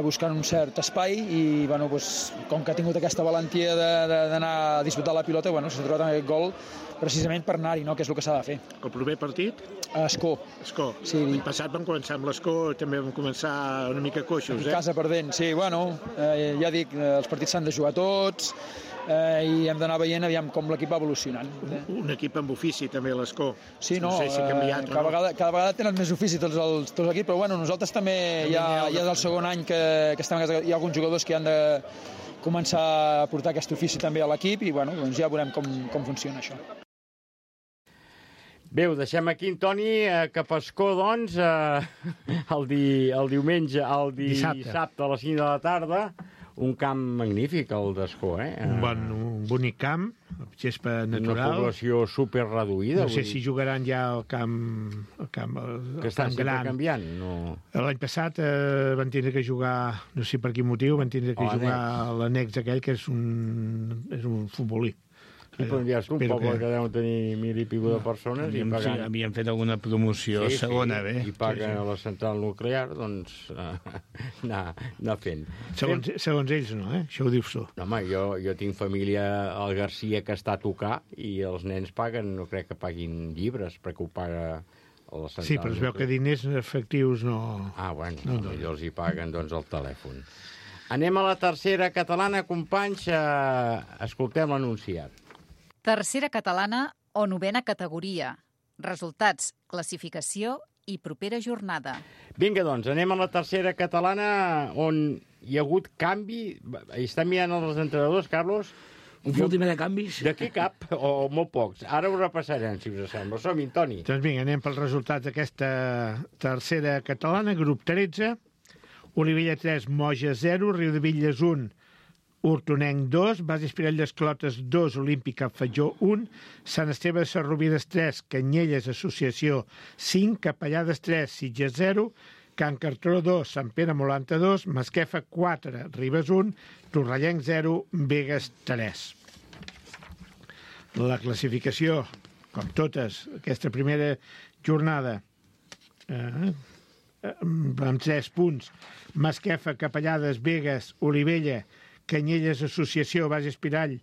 buscant un cert espai i bueno, doncs, com que ha tingut aquesta valentia d'anar a disputar la pilota, bueno, s'ha trobat aquest gol precisament per anar-hi, no? Que és el que s'ha de fer. El proper partit? Escó. Sí. L'any passat vam començar amb l'Escó, també vam començar una mica coixos. Casa perdent, sí, bueno, ja dic, els partits s'han de jugar tots i hem d'anar veient aviam com l'equip va evolucionant. Un equip amb ofici també l'Escó. Sí, no, sé si ha canviat cada vegada tenen més ofici tots els equips, però bueno, nosaltres també ja és el segon any que estem a casa, hi ha alguns jugadors que han de començar a portar aquest ofici també a l'equip i bueno, doncs ja veurem com funciona això. Bé, ho deixem aquí, Antoni, cap a Escó, doncs, el diumenge, el dissabte a les 5 de la tarda. Un camp magnífic, el d'Escó, Un bonic camp, gespa natural. Una població superreduïda. No sé si jugaran ja al camp que estan sempre canviant. L'any passat van tindre que jugar, no sé per quin motiu, van tindre que jugar a l'annex aquell, que és un futbolí. Sí, però ja és un poble que deu tenir 1.000 i pico de persones. Havien fet alguna promoció segona, bé. I paguen a la central nuclear, doncs anar fent. Segons ells no, això ho dius tu. No, home, jo tinc família al Garcia que està a tocar i els nens paguen, no crec que paguin llibres, perquè ho paga a la central. Sí, però es veu que diners efectius no... Bueno, millor els hi paguen doncs el telèfon. Anem a la tercera catalana, companys, escoltem l'anunciat. Tercera catalana o novena categoria. Resultats, classificació i propera jornada. Vinga, doncs, anem a la tercera catalana on hi ha hagut canvi. Està mirant els entrenadors, Carlos? Un últim de canvis? D'aquí cap, o molt pocs. Ara ho repassarem, si us sembla. Som-hi, Toni. Doncs vinga, anem pels resultats d'aquesta tercera catalana, grup 13. Olivella 3, Moja 0, Riudebitlles 1, Hortonenc 2, Base Espirall d'Esclotes 2, Olímpica Fatjó 1, Sant Esteve de Sarrovides 3, Canyelles Associació 5, Capellades 3, Sitges 0, Can Cartró 2, Sant Pere Molanta 2, Masquefa 4, Ribes 1, Torrellenc 0, Begues 3. La classificació, com totes, aquesta primera jornada, amb 3 punts, Masquefa, Capellades, Begues, Olivella, Canyelles Associació, Base Espirall,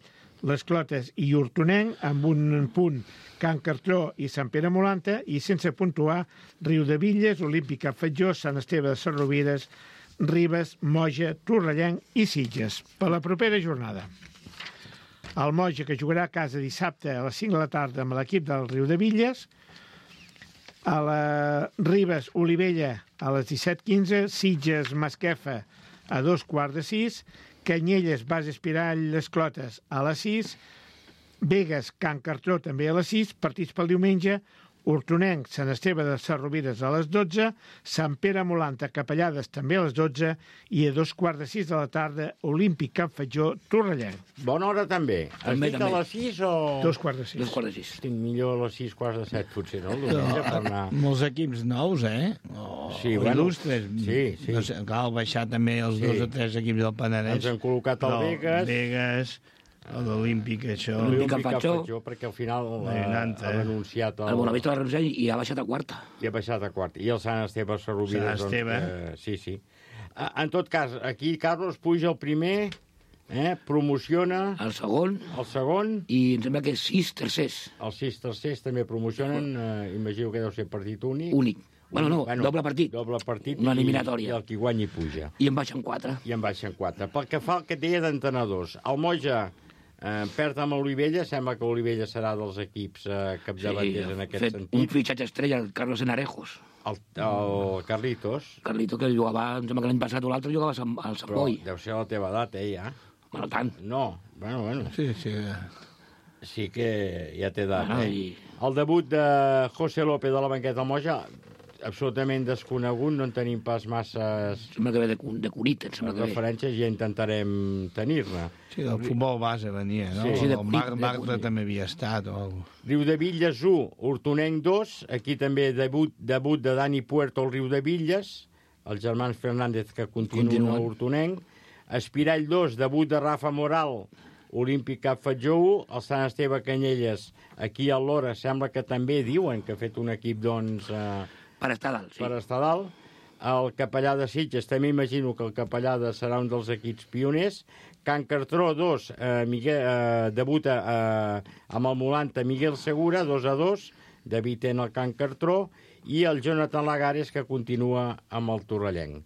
Les Clotes i Hortonenc, amb un punt Can Cartró i Sant Pere Molanta, i sense puntuar Riudebitlles, Olímpica Fatjó, Sant Esteve de Sarrovides, Ribes, Moja, Torrellenc i Sitges. Per la propera jornada, el Moja, que jugarà a casa dissabte a les 5 de la tarda amb l'equip del Riudebitlles, a la Ribes, Olivella, a les 17:15, Sitges, Masquefa, a 5:15, Canyelles, Base Espirall, Les Clotes a les 6, Begues, Can Cartró també a les 6, partits pel diumenge, Hortonenc, Sant Esteve de Sarrovires a les 12, Sant Pere Molanta, Capellades també a les 12 i a 5:15 de la tarda, Olímpic Can Fatjó, Torrellenc. Bona hora també. Has dit a les 6 o...? 5:15. 5:15. Estic millor a les 6:15, potser, no? Per anar... Molts equips nous, Sí, bueno, il·lustres. sí. No sé, cal baixar també els 2 o 3 equips del Penedès. Ens han col·locat el Begues, l'Olímpic, això. L'Olímpic Can Fatjó, perquè al final ha renunciat... El Bonavista va renunciar i ha baixat a quarta. I ha baixat a quarta. I el Sant Esteve Sarrovires. Sant Esteve. Sí. En tot cas, aquí Carlos puja el primer, promociona... El segon. I em sembla que 6 tercers. Els 6 tercers també promocionen, imagino que deu ser partit únic. Únic. Bueno, doble partit. Doble partit. Una eliminatòria. I el qui guanyi puja. I en baixen 4. Pel que fa al que deia d'entrenadors, el Moja perd amb Olivella, sembla que Olivella serà dels equips capdavanters en aquest sentit. Un fitxatge estrella, el Carlos Enarejos. El Carlitos. Carlitos, que jugava, em sembla que l'any passat o l'altre jugava al Sant Boi. Però deu ser la teva edat, ja. Bueno, tant. No, bueno. Sí. Sí que ja té edat, El debut de José López de la banqueta del Moja, absolutament desconegut, no en tenim pas masses... Sembla que ve de Cunit, em sembla que ve. Referències, ja intentarem tenir-ne. Sí, del futbol base venia, no? Sí, el Marta també havia estat. Riudebitlles 1, Hortonenc 2, aquí també debut de Dani Puerto al Riudebitlles, els germans Fernández que continuen a Hortonenc, Espirall 2, debut de Rafa Moral, Olímpic Cap Fatjó 1, el Sant Esteve Canyelles, aquí a l'Hora sembla que també diuen que ha fet un equip, doncs... Per estar dalt, sí. Per estar dalt. El Capellà de Sitges, també imagino que el Capellà serà un dels equips pioners. Can Cartró 2, debuta amb el Molanta Miguel Segura, 2-2, debutant el Can Cartró, i el Jonathan Lagares, que continua amb el Torrellenc.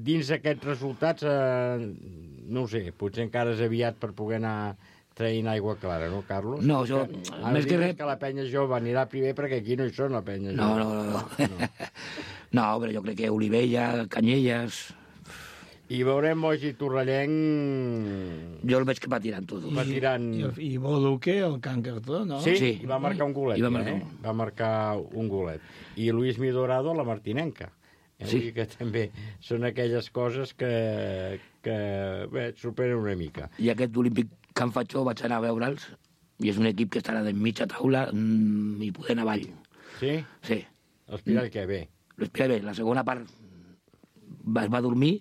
Dins d'aquests resultats, no ho sé, potser encara és aviat per poder anar traient aigua clara, no, Carlos? No, jo... Més que res... que la penya jove anirà primer perquè aquí no hi són la penya jove. No. No, però jo crec que Olivella, Canyelles... I veurem Moja i Torrellenc... Jo el veig que patirant tot. I Boduque, el Can Cartró, no? Sí, i va marcar un golet. Va marcar un golet. I Luis Midorado, la martinenca. Sí. Que també són aquelles coses que sorprenen una mica. I aquest Olímpic Can Fatjó vaig anar a veure'ls i és un equip que estarà de mitja taula i poder anar avall. Sí? Sí. L'Espirall que bé. L'Espirall bé. La segona part es va dormir,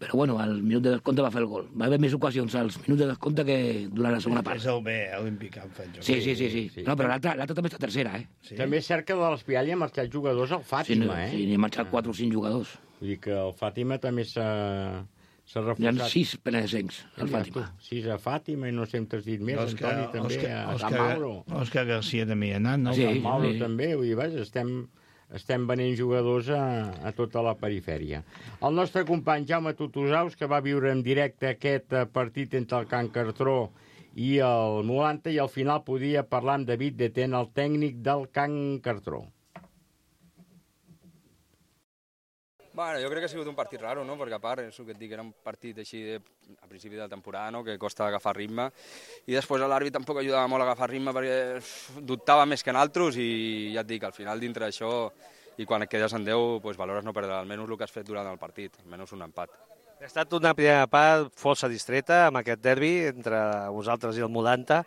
però bueno, al minut de descompte va fer el gol. Va haver més ocasions als minuts de descompte que durant la segona part. És el B, Olímpic Can Fatjó. Sí. No, però l'altra també està tercera, Sí. També és cert que de l'Espirall hi ha marxat jugadors al Fàtima, Sí, n'hi ha marxat 4 o 5 jugadors. Vull dir que el Fàtima també s'ha reforçat. Hi ha 6 penedesencs, al Fàtima. 6 a Fàtima, i no sé, t'has dit més, Antoni també, a Sant Mauro. Òscar García també hi ha anat, no? Sí, Sant Mauro també, vull dir, vaja, estem venent jugadors a tota la perifèria. El nostre company Jaume Tutusaus, que va viure en directe aquest partit entre el Can Cartró i el Molanta, i al final podia parlar amb David Detén, el tècnic del Can Cartró. Bueno, jo crec que ha sigut un partit raro, no? Perquè a part, és el que et dic, era un partit així a principi de la temporada, no? Que costa agafar ritme, i després l'àrbit tampoc ajudava molt a agafar ritme perquè dubtava més que en altres, i ja et dic, al final dintre d'això, i quan et quedes en 10, doncs valores no perdre almenys el que has fet durant el partit, almenys un empat. Ha estat una primera part força distreta amb aquest derbi entre vosaltres i el Molanta,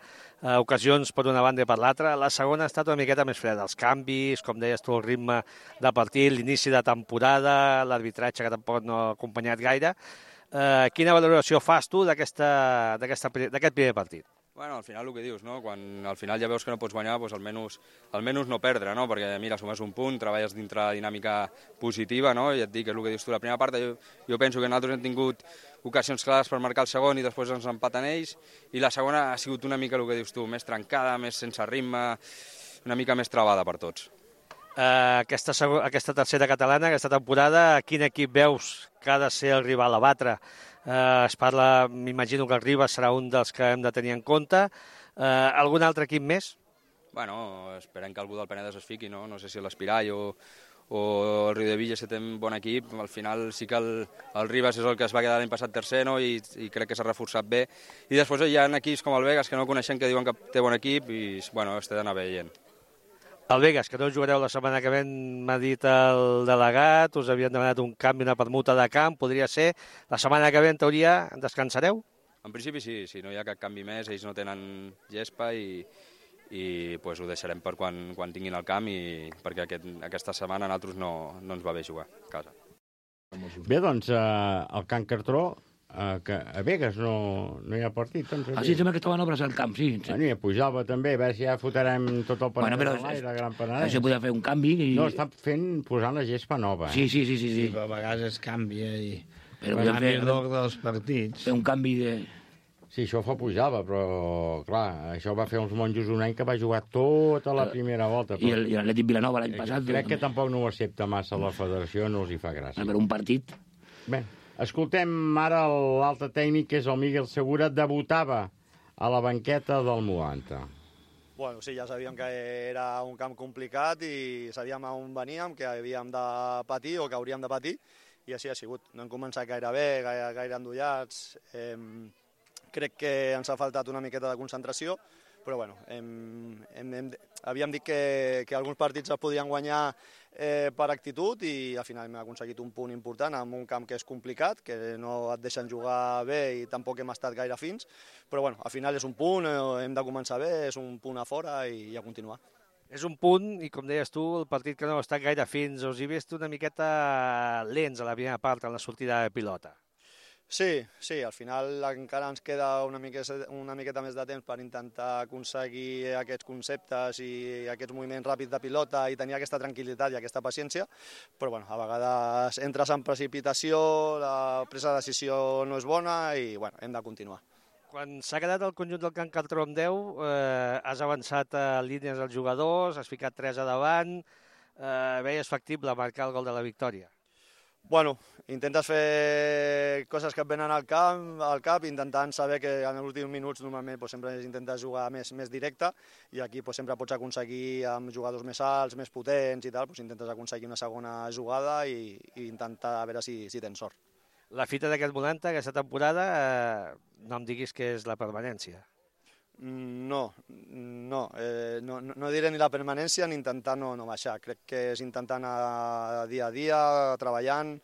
ocasions per una banda i per l'altra. La segona ha estat una miqueta més freda, els canvis, com deies tu, el ritme de partit, l'inici de temporada, l'arbitratge que tampoc no ha acompanyat gaire. Quina valoració fas tu d'aquest primer partit? Bueno, al final el que dius, no? Quan al final ja veus que no pots guanyar, doncs almenys no perdre, no? Perquè mira, sumes un punt, treballes dintre la dinàmica positiva, no? I et dic, és el que dius tu, la primera part, jo penso que nosaltres hem tingut ocasions clares per marcar el segon i després ens empaten ells, i la segona ha sigut una mica el que dius tu, més trencada, més sense ritme, una mica més travada per tots. Aquesta tercera catalana, aquesta temporada, quin equip veus que ha de ser el rival a batre? Es parla, m'imagino que el Ribas serà un dels que hem de tenir en compte. Algun altre equip més? Bueno, esperem que algú del Penedès es fiqui, no? No sé si l'Espirall o el Riudebitlles, que té un bon equip. Al final sí que el Ribas és el que es va quedar l'any passat tercer, no? I crec que s'ha reforçat bé. I després hi ha equips com el Vegas, que no coneixem, que diuen que té bon equip i bueno, es té d'anar veient. El Vegas, que no jugareu la setmana que ve, m'ha dit el delegat, us havien demanat un canvi, una permuta de camp, podria ser. La setmana que ve, en teoria, descansareu? En principi sí, no hi ha cap canvi més, ells no tenen gespa i pues, ho deixarem per quan tinguin el camp, perquè aquesta setmana a nosaltres no ens va bé jugar a casa. Bé, doncs, el Can Cartró, que a Vegas no hi ha partit. Doncs, sí, sembla que estaven obres al camp, sí. Bueno, i a Pujalba també, a veure si ja fotrem tot el Penedès a l'aire, Gran Penedès. Això podria fer un canvi. No, està posant la gespa nova. Sí. Però a vegades es canvia i... Però podem fer l'ordre dels partits. Fer un canvi de... Sí, això fa Pujalba, però, clar, això va fer uns monjos un any que va jugar tota la primera volta. I l'Atlètic Vilanova l'any passat... Crec que tampoc no ho accepta massa la federació, no els hi fa gràcia. Per un partit. Bé, escoltem ara l'altre tècnic, que és el Miguel Segura, debutava a la banqueta del Moanta. Bueno, sí, ja sabíem que era un camp complicat i sabíem on veníem, que havíem de patir o que hauríem de patir, i així ha sigut. No hem començat gaire bé, gaire endollats. Crec que ens ha faltat una miqueta de concentració, però bueno, havíem dit que alguns partits es podien guanyar per actitud i al final hem aconseguit un punt important en un camp que és complicat, que no et deixen jugar bé i tampoc hem estat gaire fins, però bueno, al final és un punt, hem de començar bé, és un punt a fora i a continuar. És un punt, i com deies tu, el partit que no ha estat gaire fins, us hi vist una miqueta lents a la primera part, en la sortida de pilota. Sí, al final encara ens queda una miqueta més de temps per intentar aconseguir aquests conceptes i aquests moviments ràpids de pilota i tenir aquesta tranquil·litat i aquesta paciència, però bueno, a vegades entres en precipitació, la presa de decisió no és bona i bueno, hem de continuar. Quan s'ha quedat el conjunt del Can Cartró amb 10, has avançat a línies dels jugadors, has ficat 3 a davant, veies factible marcar el gol de la victòria? Bueno, intentes fer coses que et venen al cap, intentant saber que en els últims minuts normalment sempre intentes jugar més directe i aquí sempre pots aconseguir amb jugadors més alts, més potents i tal, intentes aconseguir una segona jugada i intentar a veure si tens sort. La fita d'aquest Moanta, aquesta temporada, no em diguis que és la permanència. No diré ni la permanència ni intentar no baixar. Crec que és intentar anar dia a dia, treballant,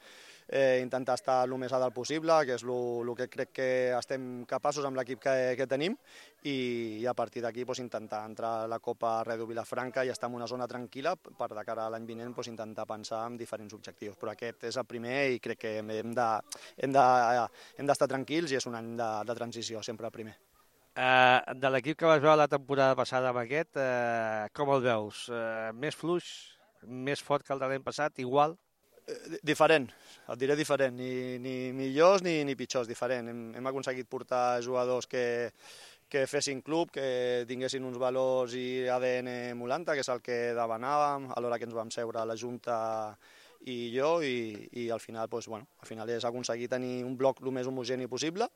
intentar estar el més a dalt possible, que és el que crec que estem capaços amb l'equip que tenim i a partir d'aquí intentar entrar a la Copa Redu Vilafranca i estar en una zona tranquil·la per de cara a l'any vinent intentar pensar en diferents objectius. Però aquest és el primer i crec que hem d'estar tranquils i és un any de transició, sempre el primer. De l'equip que vas veure la temporada passada amb aquest, com el veus? Més fluix, més fort que el de l'any passat, igual? Diferent, et diré diferent, ni millors ni pitjors, diferent. Hem aconseguit portar jugadors que fessin club, que tinguessin uns valors i ADN Moulanta, que és el que demanàvem a l'hora que ens vam seure a la Junta i jo, i al final és aconseguir tenir un bloc el més homogeni possible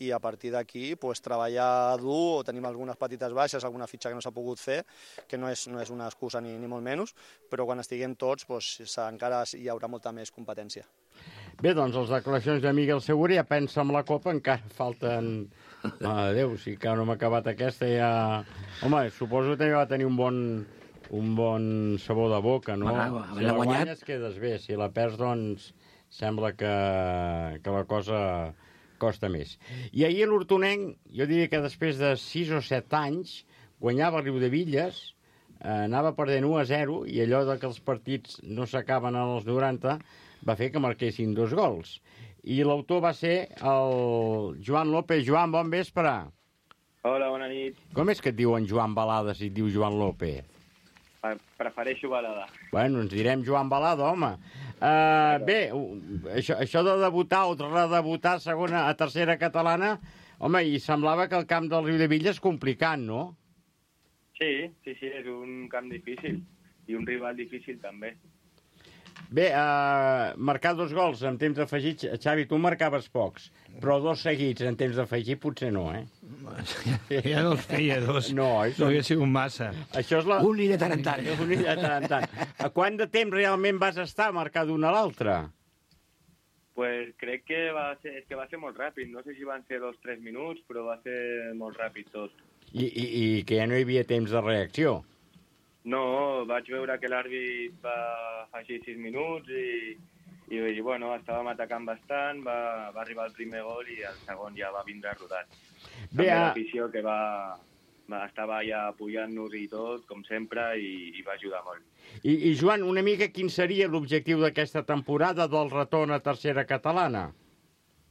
i a partir d'aquí treballar dur o tenim algunes petites baixes, alguna fitxa que no s'ha pogut fer, que no és una excusa ni molt menys, però quan estiguem tots encara hi haurà molta més competència. Bé, doncs les declaracions de Miguel Segura, ja pensa en la Copa, encara falten... Adéu, si encara no m'ha acabat aquesta ja... Home, suposo que també va tenir un bon sabor de boca, no? Si la guanyes quedes bé, si la perds, doncs, sembla que la cosa costa més. I ahir l'Hortonenc, jo diria que després de 6 o 7 anys, guanyava el Riudebitlles, anava perdent 1-0, i allò que els partits no s'acaben als 90 va fer que marquessin 2 gols. I l'autor va ser el Joan López. Joan, bon vespre. Hola, bona nit. Com és que et diuen Joan Balada si et diu Joan López? Prefereixo Balada. Bueno, ens direm Joan Balada, home. Bé, això de debutar o redebutar a tercera catalana, home, i semblava que el camp del Riudebitlles és complicat, no? Sí, és un camp difícil i un rival difícil també. Bé, marcar 2 gols en temps afegit, Xavi, tu marcaves pocs, però 2 seguits en temps afegit potser no, eh? Ja no els feia 2. No, no hauria sigut massa. Això és la... Un i de tant en tant. Un i de tant en tant. A quant de temps realment vas estar a marcar d'una a l'altra? Pues crec que va ser molt ràpid. No sé si van ser 2 o 3 minuts, però va ser molt ràpid tot. I que ja no hi havia temps de reacció? No, vaig veure que l'àrbit va afegir 6 minuts i bueno, estàvem atacant bastant, va arribar el primer gol i el segon ja va vindre rodat. També l'afició que estava ja apoyant-nos i tot, com sempre, i va ajudar molt. I Joan, una mica quin seria l'objectiu d'aquesta temporada del retorn a tercera catalana?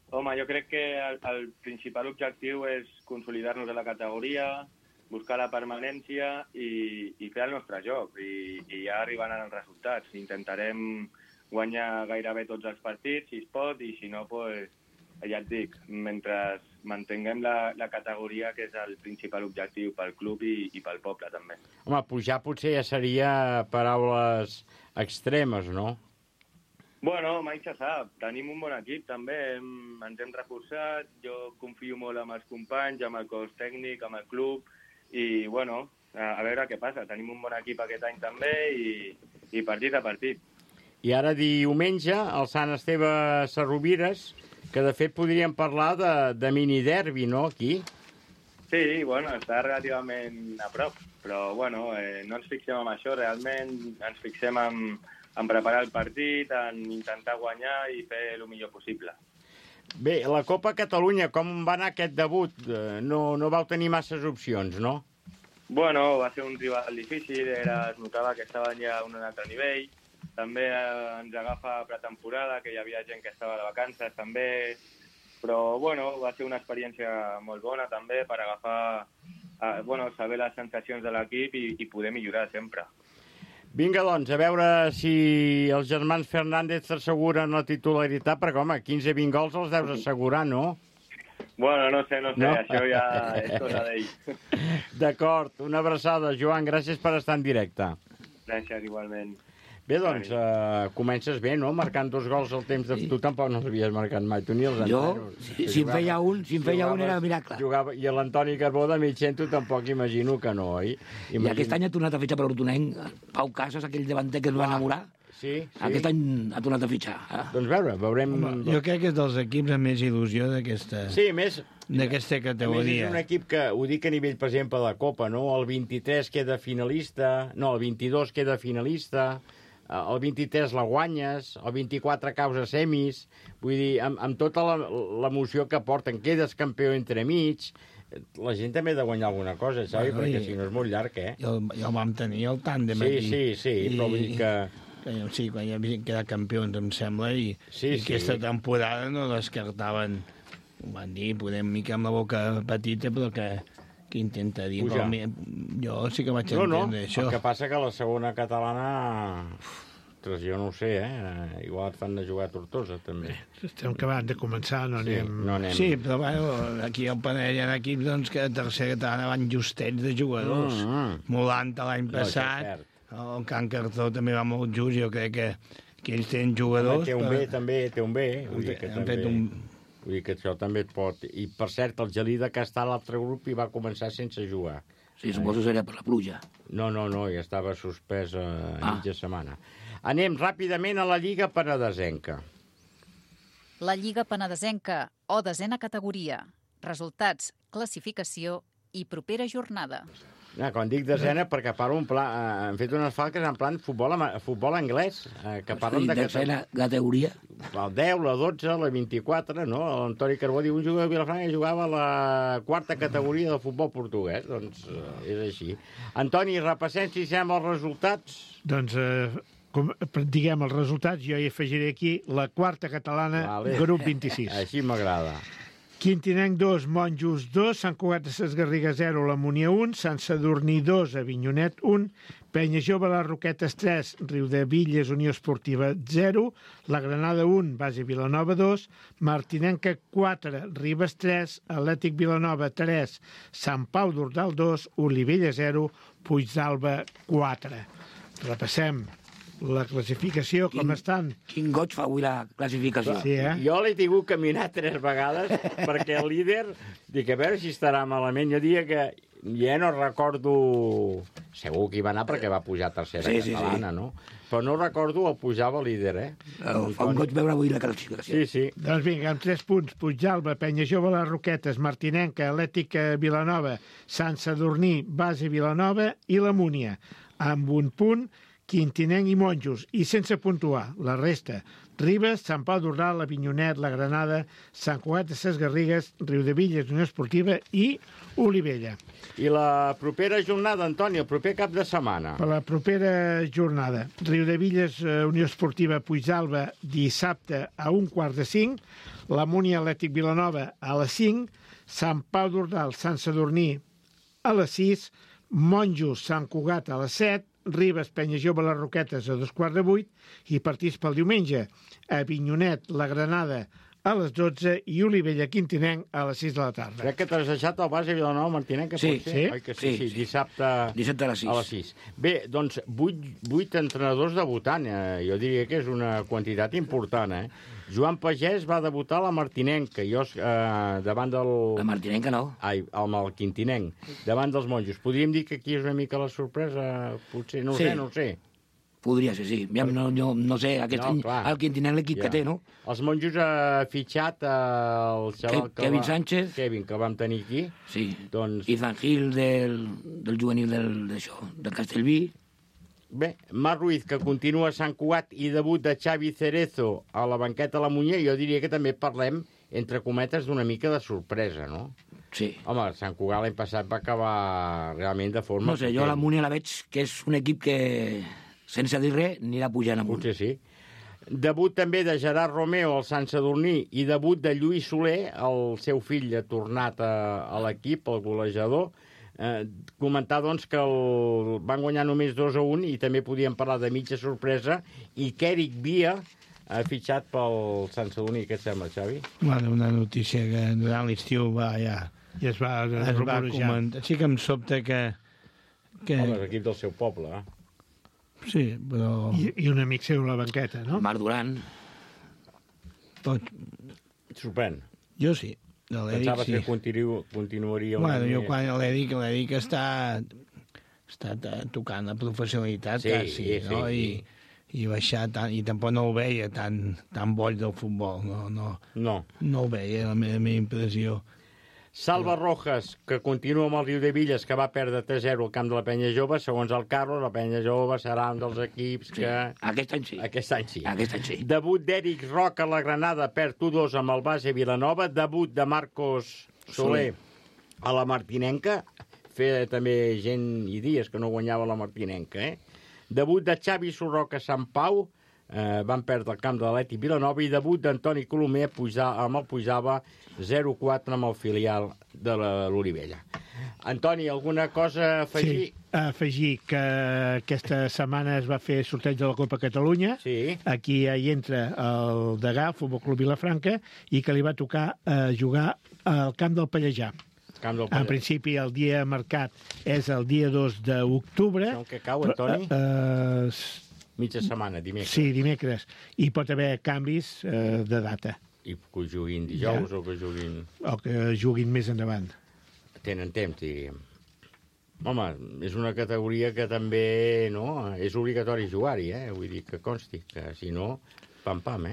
Home, jo crec que el principal objectiu és consolidar-nos a la categoria, buscar la permanència i fer el nostre joc. I ja arribaran els resultats. Intentarem guanyar gairebé tots els partits, si es pot, i si no, pues, ja et dic, mentre mantinguem la categoria, que és el principal objectiu pel club i pel poble, també. Home, pujar potser ja seria paraules extremes, no? Bueno, mai se sap. Tenim un bon equip, també. Ens hem reforçat. Jo confio molt en els companys, amb el cos tècnic, amb el club. I, bueno, a veure què passa. Tenim un bon equip aquest any també i partit a partit. I ara diumenge, el Sant Esteve Sarrovires, que de fet podríem parlar de mini-derbi, no, aquí? Sí, bueno, està relativament a prop, però, bueno, no ens fixem en això, realment ens fixem en preparar el partit, en intentar guanyar i fer el millor possible. Bé, la Copa Catalunya, com va anar aquest debut? No vau tenir masses opcions, no? Bueno, va ser un rival difícil, es notava que estaven ja a un altre nivell. També ens agafa pretemporada, que hi havia gent que estava de vacances, també. Però, bueno, va ser una experiència molt bona, també, per agafar, saber les sensacions de l'equip i poder millorar sempre. Vinga, doncs, a veure si els germans Fernández t'asseguren la titularitat, perquè, home, 15-20 gols els deus assegurar, no? Bueno, no sé, això ja és cosa d'ell. D'acord, una abraçada. Joan, gràcies per estar en directe. Gràcies, igualment. Bé, doncs, comences bé, no? Marcant 2 gols al temps de... Sí. Tu tampoc no l'havies marcat mai, tu ni els enteros. Jo, si en feia un era miracle. I l'Antoni Carbó de mig cent, tu tampoc imagino que no, oi? I aquest any ha tornat a fitxar per l'Hortonenc. Pau Casas, aquell davanter que es va enamorar. Sí. Aquest any ha tornat a fitxar. Doncs veurem... Jo crec que és dels equips amb més il·lusió d'aquesta... Sí, més... D'aquesta categoria. A més, és un equip que, ho dic a nivell, per exemple, de Copa, no? El 23 queda finalista, no, el 22 queda finalista, el 23 la guanyes, el 24 causa semis, vull dir, amb tota l'emoció que porten, quedes campió entremig, la gent també ha de guanyar alguna cosa, saps? Perquè si no és molt llarg, eh? Ja el vam tenir, el tàndem aquí. Sí, però vull dir que... Sí, quan ja havien quedat campions, em sembla, i aquesta temporada no descartaven, ho van dir, podem mica amb la boca petita, però que intenta dir. Jo sí que vaig entendre això. El que passa que la segona catalana... jo no ho sé, igual fan de jugar a Tortosa, també. Estem acabant de començar, no anem... Sí, però bueno, aquí al Panell hi ha equips doncs, que a tercera catalana van justets de jugadors. Molanta l'any passat, el Can Cartó també va molt just, jo crec que ells tenen jugadors... Té un B. Vull dir que això també et pot... I, per cert, el Gelida, que està a l'altre grup, i va començar sense jugar. Sí, suposo que era per la pluja. No, ja estava suspès a mitja setmana. Anem ràpidament a la Lliga Penedesenca. La Lliga Penedesenca, o desena categoria. Resultats, classificació i propera jornada. Quan dic desena, perquè parlo han fet unes falques en plan futbol anglès, que parlen de... Desena categoria. El 10, la 12, la 24, no? L'Antoni Carbó diu, un jugador de Vilafranca jugava a la quarta categoria del futbol portuguès. Doncs és així. Antoni, repassem si sembla els resultats. Doncs, diguem els resultats, jo hi afegiré aquí la quarta catalana, grup 26. Així m'agrada. Quintinenc 2, Monjos 2, Sant Cugat de Ses Garrigues 0, la Munià 1, Sant Sadurní 2, Avinyonet 1, Penya Jove, les Roquetes 3, Riudebitlles, Unió Esportiva 0, la Granada 1, Base Vilanova 2, Martinenca 4, Ribes 3, Atlètic Vilanova 3, Sant Pau d'Ordal 2, Olivella 0, Puigdàlber 4. Repassem. la classificació, com estan. Quin goig fa avui la classificació. Sí, Jo l'he tingut que mirar 3 vegades perquè el líder, dic, a veure si estarà malament. Jo diria que ja no recordo... Segur que hi va anar perquè va pujar a tercera catalana, no? Però no recordo el pujava líder, Fa un goig veure avui la classificació. Sí. Doncs vinga, amb 3 punts, Puigdàlber, Penyajove, Les Roquetes, Martinenca, Atlètic Vilanova, Sant Sadurní, Base Vilanova i la Múnia. Amb 1 punt, Quintinenc i Monjos, i sense puntuar. La resta, Ribes, Sant Pau d'Ordal, Avinyonet, la Granada, Sant Cugat de Ses Garrigues, Riudebitlles, Unió Esportiva i Olivella. I la propera jornada, Antoni, el proper cap de setmana? Per la propera jornada, Riudebitlles, Unió Esportiva, Puigdàlber, dissabte a 4:45, la Múnia Atlètic Vilanova a les 5, Sant Pau d'Ordal, Sant Sadurní a les 6, Monjos, Sant Cugat a les 7, Ribes, Penyajove, Les Roquetes a 7:45 i partits pel diumenge. Avinyonet, la Granada a les 12 i Olivella, Quintinenc a les 6 de la tarda. Crec que t'has deixat el Base Vilanova, Martinenc, que pot ser? Oi que sí? Dissabte a les 6. Bé, doncs 8 entrenadors debutant. Jo diria que és una quantitat important, Joan Pagès va debutar a la Martinenca, jo davant del... La Martinenca no. Ai, el Quintinenc, davant dels Monjos. Podríem dir que aquí és una mica la sorpresa? Potser, no ho sé. Podria ser, sí. No sé, aquest any el Quintinenc l'equip que té, no? Els Monjos ha fitxat el xaval Kevin Sánchez. Kevin, que vam tenir aquí. Sí, Ethan Hill del juvenil del Castellví. Bé, Marc Ruiz, que continua a Sant Cugat, i debut de Xavi Cerezo a la banqueta a la Muñer, jo diria que també parlem, entre cometes, d'una mica de sorpresa, no? Sí. Home, Sant Cugat l'any passat va acabar realment de forma... No sé, jo a la Muñer la veig que és un equip que, sense dir res, anirà pujant amunt. Potser sí. Debut també de Gerard Romeo al Sant Sadurní i debut de Lluís Soler, el seu fill ha tornat a l'equip, el golejador. Comentar, doncs, que van guanyar només 2-1 i també podíem parlar de mitja sorpresa, i que Eric Via ha fitxat pel Sant Sadurní. Què et sembla, Xavi? Bueno, una notícia que durant l'estiu ja es va rumorejar. Sí que em sobta que... Home, l'equip del seu poble, Sí, però... I un amic seu a la banqueta, no? Marc Duran. Sorprèn. Jo sí. Pensava que continuaria... Bueno, jo quan l'Eric està tocant la professionalitat, sí, no? I baixar tant, i tampoc no ho veia tan boig del futbol, no ho veia, la meva impressió. Salva Rojas, que continua amb el Riudebitlles, que va perdre 3-0 al camp de la Penyajove. Segons el Carlos, la Penyajove serà un dels equips que... Aquest any sí. Aquest any sí. Sí. Debut d'Eric Roca a la Granada, perd 1-2 amb el Base Vilanova. Debut de Marcos Soler a la Martinenca. Feia també gent i dies que no guanyava la Martinenca, Debut de Xavi Sorroca a Sant Pau. Van perdre el camp de l'Atlètic Vilanova, i debut d'Antoni Colomer amb el Puigdàlber 0-4 amb el filial de l'Olivella. Antoni, alguna cosa a afegir? Sí, afegir que aquesta setmana es va fer sorteig de la Copa Catalunya. Sí. Aquí hi entra el Degà, Futbol Club Vilafranca, i que li va tocar jugar al camp del Pallejà. En principi, el dia marcat és el dia 2 d'octubre. On que cau, Antoni? Mitja setmana, dimecres. Sí, dimecres. I pot haver canvis de data. I que juguin dijous o que juguin... O que juguin més endavant. Tenen temps, diríem. Home, és una categoria que també, és obligatori jugar-hi, Vull dir que consti, que si no, pam-pam,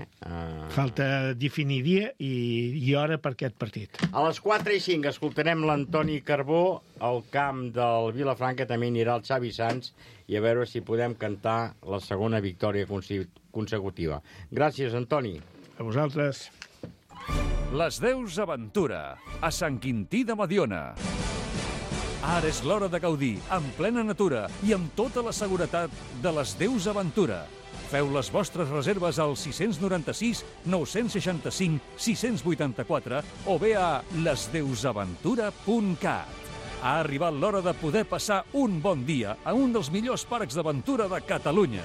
Falta definir dia i hora per aquest partit. A les 4:05 escoltarem l'Antoni Carbó al camp del Vilafranca, també anirà el Xavi Sans, i a veure si podem cantar la segona victòria consecutiva. Gràcies, Antoni. A vosaltres. Les Deus Aventura, a Sant Quintí de Mediona. Ara és l'hora de gaudir, en plena natura i amb tota la seguretat de les Deus Aventura. Feu les vostres reserves al 696 965 684 o bé a lesdeusaventura.cat. Ha arribat l'hora de poder passar un bon dia a un dels millors parcs d'aventura de Catalunya.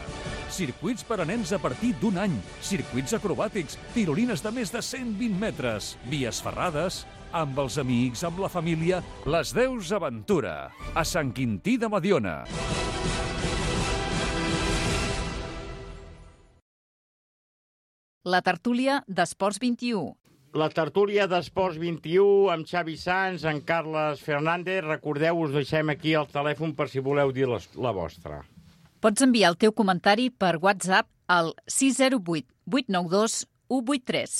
Circuits per a nens a partir d'1 any, circuits acrobàtics, tirolines de més de 120 metres, vies ferrades, amb els amics, amb la família. Les Deus Aventura, a Sant Quintí de Mediona. La tertúlia d'Esports 21. La tertúlia d'Esports 21 amb Xavi Sans, en Carles Fernández. Recordeu, us deixem aquí el telèfon per si voleu dir la vostra. Pots enviar el teu comentari per WhatsApp al 608 892 183.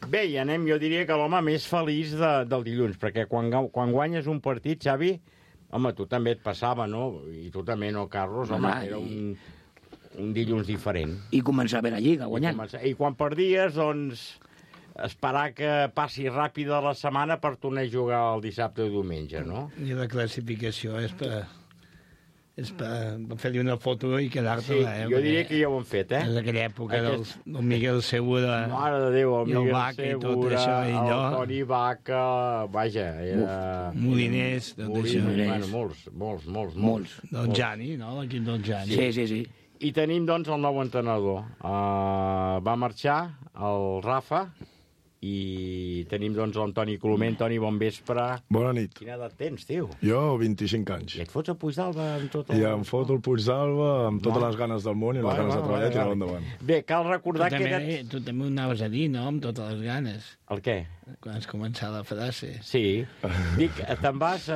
Bé, i anem, jo diria que l'home més feliç del dilluns, perquè quan guanyes un partit, Xavi, home, tu també et passava, no? I tu també, no, Carlos? Home, era un dilluns diferent. I començar a veure la Lliga, guanyant. I quan perdies, doncs, esperar que passi ràpida la setmana per tornar a jugar el dissabte o diumenge, no? I la classificació és per fer-li una foto i quedar-te. Sí, jo diria que ja ho han fet, eh? És aquella època del Miguel Segura. Mare de Déu, el Miguel Vaca Segura, i tot això, i allò. el Toni Vaca, vaja, era... Moliners, tot això. Bueno, molts. Del Jani, no? L'equip del Jani. Sí. I tenim, doncs, el nou entrenador. Va marxar el Rafa, i tenim, doncs, l'Antoni Colomer. Antoni, bon vespre. Bona nit. Quina edat tens, tio? Jo, 25 anys. I et fots a Puigdàlber amb tot I em foto el Puigdàlber amb totes les ganes del món i les ganes de treballar i tirar endavant. Bé, cal recordar que... Tu també ho anaves a dir, no?, amb totes les ganes. El què? Quan has començat la frase. Sí. Dic, te'n vas...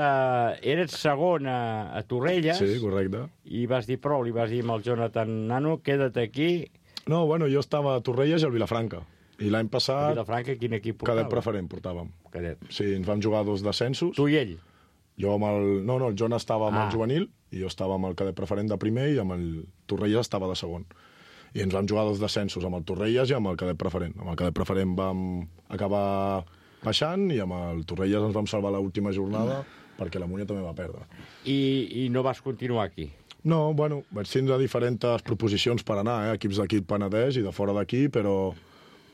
Eres segon a Torrelles. Sí, correcte. I vas dir prou, li vas dir al Jonathan Nano, queda't aquí. No, bueno, jo estava a Torrelles i al Vilafranca. I l'any passat... A Vilafranca, quin equip portava? Cadet preferent portàvem. Cadet. Sí, ens vam jugar 2 descensos. Tu i ell? Jo amb el... No, el Jon estava amb el juvenil i jo estava amb el cadet preferent de primer i amb el Torrelles estava de segon. I ens vam jugar 2 descensos amb el Torrelles i amb el cadet preferent. Amb el cadet preferent vam acabar baixant i amb el Torrelles ens vam salvar l'última jornada perquè la Múnia també va perdre. I no vas continuar aquí? No, bueno, vaig tindre diferents proposicions per anar, equips d'aquí Penedès i de fora d'aquí, però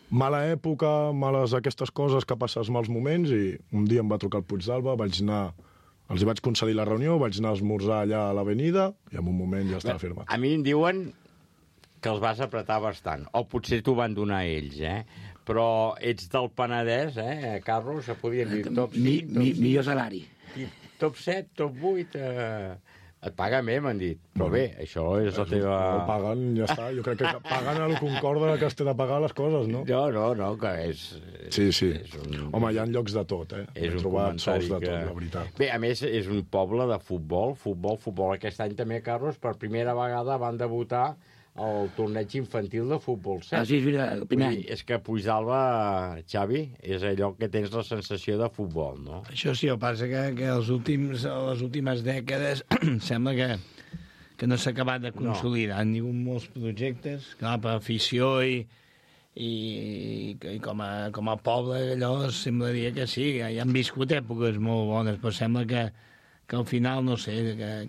mala època, males aquestes coses que passes mals moments, i un dia em va trucar el Puigdàlber, els hi vaig concedir la reunió, vaig anar a esmorzar allà a l'avenida i en un moment ja estava firmat. A mi em diuen que els vas apretar bastant, o potser t'ho van donar ells, però ets del Penedès, Carlos, podien dir top 5, millor salari. Top 7, top 8... Et paguen bé, m'han dit. Però bé, això és la teva... No paguen, ja està. Jo crec que paguen el concorda que es té de pagar les coses, no? No, que és... Sí. Home, hi ha llocs de tot, És He trobat sols de tot, la veritat. Bé, a més, és un poble de futbol. Aquest any també, Carlos, per primera vegada van debutar el torneig infantil de futbol 7. Sí, el primer any. És que Puigdàlber, Xavi, és allò que tens la sensació de futbol, no? Això sí, el que passa que les últimes dècades sembla que no s'ha acabat de consolidar. Han tingut molts projectes, clar, per afició i com a poble allò semblaria que sí, ja han viscut èpoques molt bones, però sembla que al final, no sé,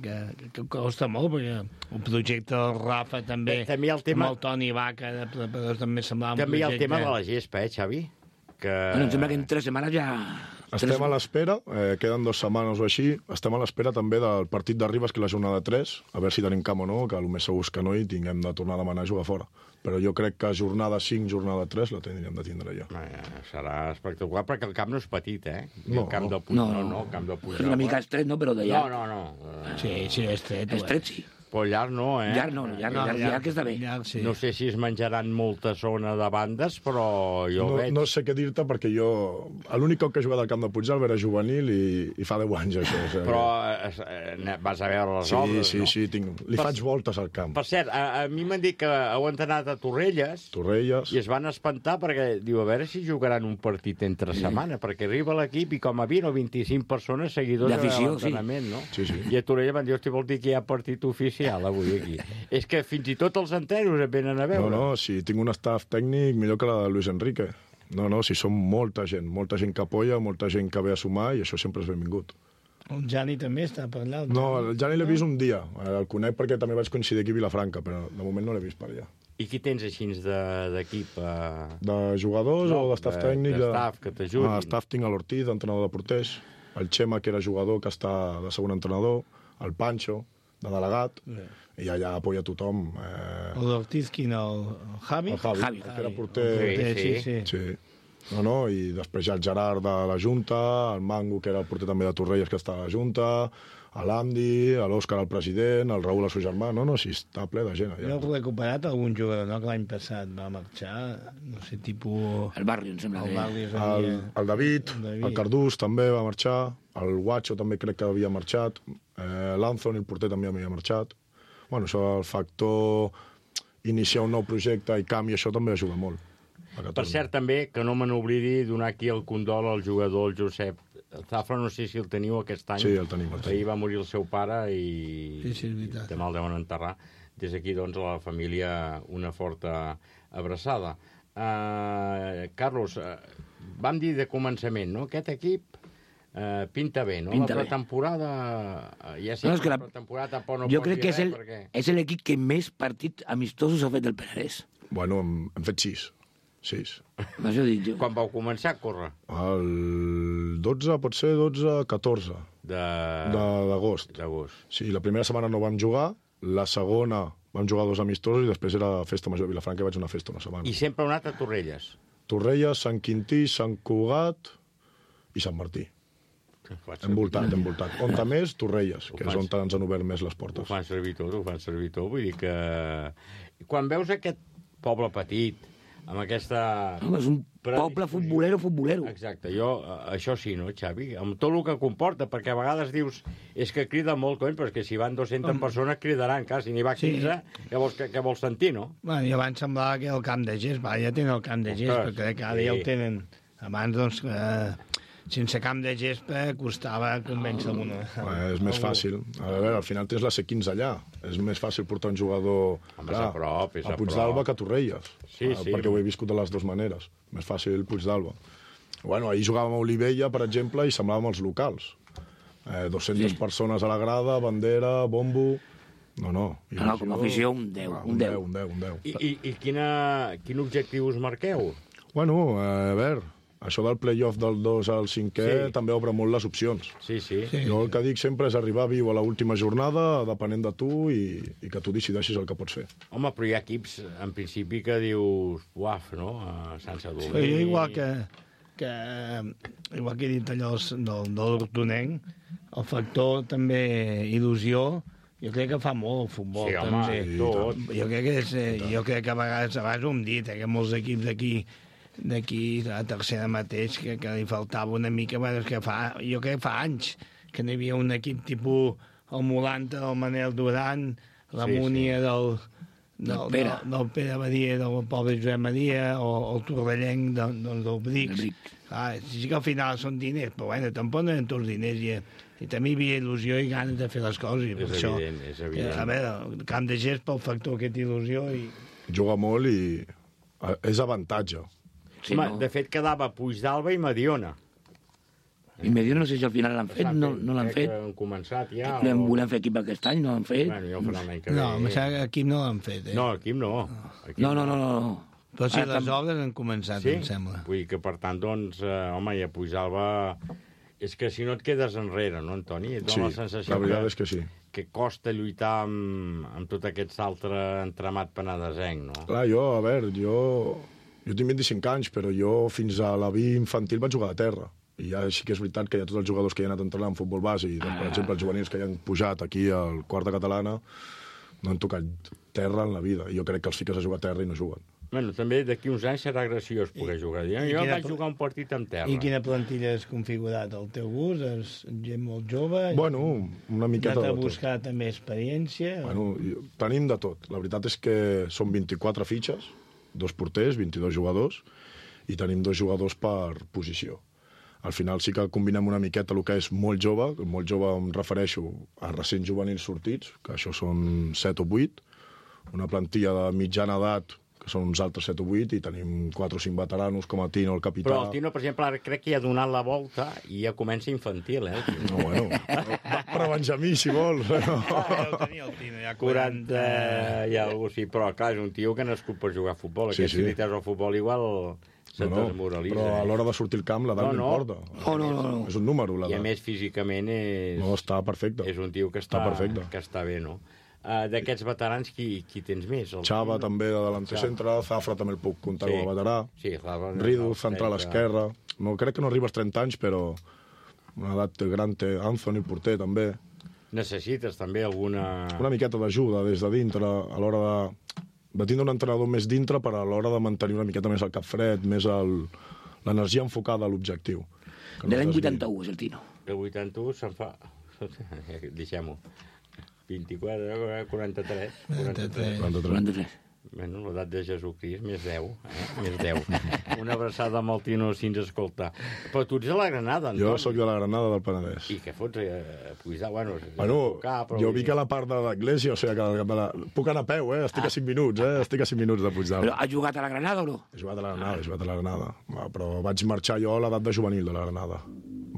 que costa molt, perquè el projecte del Rafa també, també el tema... amb el Toni Vaca, també semblava un projecte... També hi ha el tema de la gespa, Xavi? Bueno, em sembla que en 3 setmanes ja... Estem a l'espera, queden 2 setmanes o així, estem a l'espera també del partit de Ribes, que és la jornada 3, a veure si tenim camp o no, que el més segur és que no, i tinguem de tornar a demanar a jugar fora. Però jo crec que jornada 5, jornada 3 la tindríem de tindre ja. Serà espectacular, perquè el camp no és petit, No, el camp del Puigdàlber. No, el camp del Puigdàlber. És una mica estret, no?, però de llarg. No. Sí, és estret. Estret, sí. Però llarg no, Llarg que està bé. Sí. No sé si es menjaran molta zona de bandes, però jo veig... No sé què dir-te, perquè jo... L'únic cop que he jugat al camp de Puigdàlber era juvenil i fa 10 anys, això. Però vas a veure les obres, no? Sí, li faig voltes al camp. Per cert, a mi m'han dit que heu entrenat a Torrelles. I es van espantar perquè, diu, a veure si jugaran un partit entre setmana, perquè arriba l'equip i com a 20 o 25 persones seguidors de l'entrenament, no? Sí. I a Torrelles van dir, hosti, vol dir que hi ha partit oficial avui aquí. És que fins i tot els enteros et venen a veure. No, si tinc un staff tècnic millor que la de Luis Enrique. No, si som molta gent que apoya, molta gent que ve a sumar, i això sempre és benvingut. El Jani també està per allà? No, el Jani l'he vist un dia. El conec perquè també vaig coincidir aquí a Vilafranca, però de moment no l'he vist per allà. I qui tens així d'equip? De jugadors o de staff tècnic? De staff, que t'ajudi. Staff tinc l'Ortiz, entrenador de porters, el Xema, que era jugador, que està de segon entrenador, el Pancho, de delegat, i allà apoya tothom. L'Ortiz, quin? El Javi? El Javi, que era porter. Sí. I després hi ha el Gerard de la Junta, el Mango, que era el porter també de Torrelles, que està a la Junta, l'Andy, l'Òscar, el president, el Raül, el seu germà, sí, està ple de gent. Jo he recuperat algun jugador, no?, que l'any passat va marxar, no sé, tipus... El Barrio, em sembla. El David, el Cardús també va marxar, el Guacho també crec que havia marxat, l'Anthony, el porter, també havia marxat. Bueno, això, el factor iniciar un nou projecte i canvi, això també ajuda molt. Per cert, també, que no me n'oblidi donar aquí el condol al jugador, el Josep Zafra, no sé si el teniu aquest any. Sí, el tenim. Ahir va morir el seu pare i sí, demà el deuen enterrar. Des d'aquí, doncs, a la família una forta abraçada. Carlos, vam dir de començament, no? Aquest equip pinta bé, no? Pinta la pretemporada... Ja sé que la pretemporada tampoc no jo pot crec que dir res, és l'equip que més partits amistosos ha fet el Penedès. Bueno, hem fet 6. Això dic jo. Quan vau començar a córrer? El 12, pot ser 12-14 d'agost. Sí, la primera setmana no vam jugar, la segona vam jugar 2 amistosos i després era festa major de Vilafranca i vaig una festa una setmana. I sempre heu anat a Torrelles? Torrelles, Sant Quintí, Sant Cugat i Sant Martí. Envoltat. On més, Torrelles, que és on ens han obert més les portes. Ho fan servir tot, vull dir que... Quan veus aquest poble petit, amb aquesta... És un poble futbolero. Exacte, això sí, no, Xavi? Amb tot el que comporta, perquè a vegades dius és que crida molt, cony, però és que si van 200 persones cridaran, clar, si n'hi va 15, què vols sentir, no? Bueno, i abans semblava que el camp de gest, ja tenen el camp de gest, però crec que ara ja el tenen. Abans, doncs, sense camp de gespa costava convèncer alguna. És més fàcil. A veure, al final tens la C15 allà. És més fàcil portar un jugador a Puigdàlber que a Torrelles. Perquè ho he viscut de les dues maneres. Més fàcil Puigdàlber. Bueno, ahir jugàvem a Olivella, per exemple, i semblàvem els locals. 200 persones a la grada, bandera, bombo... No, com a afició, un 10. Un 10. I quin objectiu us marqueu? Bueno, a veure... Això del play-off del 2 al 5è també obre molt les opcions. Sí. Jo el que dic sempre és arribar viu a l'última jornada, depenent de tu, i que tu decideixis el que pots fer. Home, però hi ha equips, en principi, que dius, uaf, no?, a Sant Sadurní. Sí, igual que he dit allò del Hortonenc, el factor també il·lusió, jo crec que fa molt el futbol. Sí, home, tot. Jo crec que a vegades ho hem dit, que molts equips d'aquí, a tercera mateix, que li faltava una mica, bueno, jo crec que fa anys que n'hi havia un equip tipus el Molanta del Manel Duran, la Múnia del Pere Badia, del poble Josep Maria, o el Torrellenc del Brics. Sí que al final són diners, però bueno, tampoc no eren tots diners, i també hi havia il·lusió i ganes de fer les coses. És evident. A veure, el camp de gest pel factor aquest il·lusió. Juga molt i és avantatge. Sí, de fet, quedava Puigdàlber i Mediona. I Mediona no sé si al final l'han fet, no l'han fet. Han començat ja. Volem fer equip aquest any, no l'han fet. Bueno, ja ho faran l'any que ve. No, equip no l'han fet, No, equip no. No. Però sí, les obres han començat, em sembla. Vull dir que, per tant, doncs, home, i a Puigdàlber... És que si no et quedes enrere, no, Antoni? Sí, la veritat és que sí. Que costa lluitar amb tot aquest altre entramat penedesenc, no? Clar, jo tinc 25 anys, però jo fins a la B infantil vaig jugar a terra. I ja sí que és veritat que hi ha tots els jugadors que hi han anat entrenant en futbol base, i, per exemple, els juvenils que hi han pujat aquí al quarta catalana, no han tocat terra en la vida. I jo crec que els fiques a jugar a terra i no juguen. Bueno, també d'aquí uns anys serà graciós poder jugar. Jo vaig jugar un partit amb terra. I quina plantilla has configurat? El teu gust? És gent molt jove? Bueno, una miqueta de tot. Has de buscar també experiència? Bueno, tenim de tot. La veritat és que són 24 fitxes, 2 porters, 22 jugadors, i tenim 2 jugadors per posició. Al final sí que combinem una miqueta el que és molt jove em refereixo a recents juvenils sortits, que això són 7 o 8, una plantilla de mitjana edat, que són uns altres 7 o 8, i tenim 4 o 5 veteranos, com el Tino, el capità... Però el Tino, per exemple, ara crec que ja ha donat la volta i ja comença infantil, eh? No, bueno, va per Benjamí, si vols. Ja ho tenia el Tino, ja 40... i alguna cosa, sí, però clar, és un tio que ha nascut per jugar a futbol. Aquests militars al futbol igual se't desmoralitza. Però a l'hora de sortir al camp l'edat no importa. No. És un número, l'edat. I a més, físicament és... No, està perfecte. És un tio que està bé, no? D'aquests veterans, qui tens més? Xava també de delanter centre, Zafra també el puc comptar com a veterà. Sí, Zafra. Ridu, central esquerra. No, crec que no arriba als 30 anys, però una edat gran té. Anthony, porter, també. Necessites també alguna... Una miqueta d'ajuda des de dintre, a l'hora de tindre un entrenador més dintre, per a l'hora de mantenir una miqueta més el cap fred, més l'energia enfocada a l'objectiu. De l'any 81 és el Tino. El 81 se'n fa... Deixem-ho. 24, 43. 43. Bueno, l'edat de Jesucrist, més 10. Més 10. Una abraçada amb el Tino si ens escolta. Però tu ets de la Granada, Antoni. Jo sóc de la Granada del Penedès. I què fots? Pujar, bueno... Jo vic a la part de l'església, o sigui que puc anar a peu, estic a 5 minuts, estic a 5 minuts de Puigdalt. Però has jugat a la Granada o no? He jugat a la Granada. Però vaig marxar jo a l'edat de juvenil de la Granada.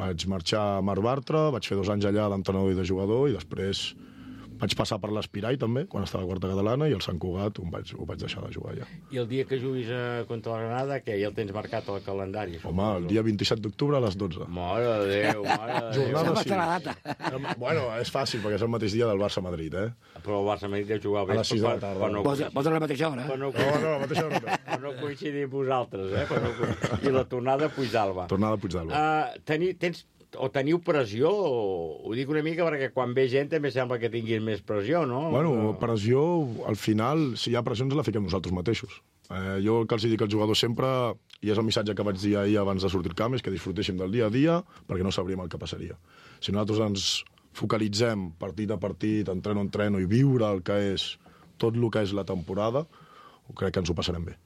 Vaig marxar a Mar Bartra, vaig fer 2 anys allà d'entrenador i de jugador, i després vaig passar per l'Espirai, també, quan estava a quarta catalana, i el Sant Cugat ho vaig deixar de jugar, ja. I el dia que juguis contra la Granada, què? Ja el tens marcat al calendari? Home, el dia 27 d'octubre a les 12. Mare de Déu, mare de Déu. Jornada, sí. La data. Bueno, és fàcil, perquè és el mateix dia del Barça-Madrid, Però el Barça-Madrid deu jugar a les 6 de la tarda. Posa la mateixa hora, No, la mateixa hora. Per no coincidir amb vosaltres, I la tornada a Puigdàlber. Tornada a Puigdàlber. Teniu pressió, ho dic una mica perquè quan ve gent també sembla que tinguin més pressió, no? Bueno, pressió, al final, si hi ha pressió ens la fiquem nosaltres mateixos. Jo el que els dic als jugadors sempre, i és el missatge que vaig dir ahir abans de sortir al camp, és que disfrutéssim del dia a dia perquè no sabríem el que passaria. Si nosaltres ens focalitzem partit a partit, entreno a entreno, i viure el que és tot el que és la temporada, crec que ens ho passarem bé.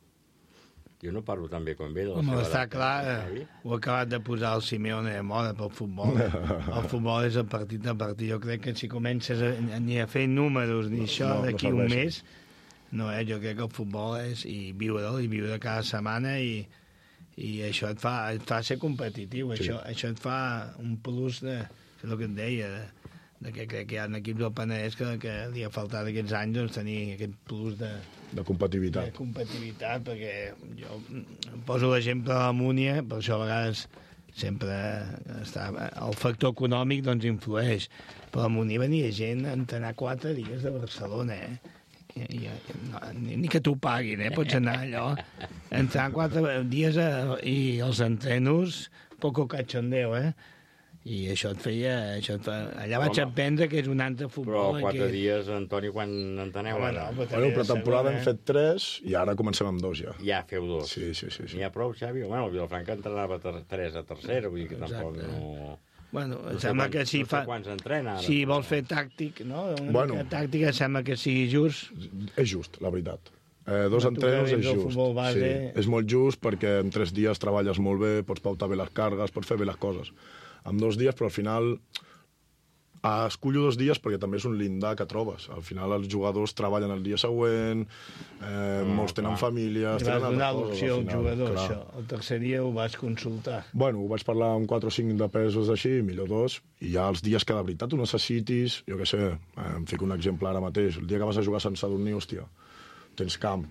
Jo no parlo tan bé com ve. Home, està clar, ho ha acabat de posar el Simeone de moda pel futbol. El futbol és el partit a partit. Jo crec que si comences ni a fer números ni això d'aquí un mes, no, jo crec que el futbol és i viure cada setmana i això et fa ser competitiu. Sí. Això et fa un plus de, és el que et deia, de que crec que hi ha equips del Penedès que li ha faltat aquests anys doncs, tenir aquest plus de competitivitat. De competitivitat, perquè jo poso l'exemple de la Múnia, per això a vegades sempre el factor econòmic doncs influeix. Però a la Múnia venia gent a entrenar 4 dies de Barcelona, ni que t'ho paguin, pots anar allò, entrenar 4 dies i els entrenos, poco cachondeo, I això et feia... Allà vaig aprendre que és un altre futbol. Però 4 dies, Antoni, quan enteneu ara? Bueno, pretemporada hem fet 3 i ara comencem amb 2 ja. Ja feu 2. Sí. N'hi ha prou, Xavi? Bueno, el Vilafranca entrenava 3 a tercera, vull dir que tampoc no... Bueno, em sembla que si vols fer tàctic, no? Una mica tàctica, em sembla que sigui just. És just, la veritat. 2 entrenos és just. Sí, és molt just perquè en 3 dies treballes molt bé, pots pautar bé les cargues, pots fer bé les coses. En 2 dies, però al final escollo 2 dies perquè també és un llindar que trobes. Al final els jugadors treballen el dia següent, molts tenen famílies... I vas donar l'opció al jugador, això. El tercer dia ho vas consultar. Bueno, ho vaig parlar amb 4 o 5 de pesos així, millor 2, i ja els dies que de veritat ho necessitis, jo què sé, em fico un exemple ara mateix, el dia que vas a jugar a Sant Sadurní, hòstia, tens camp,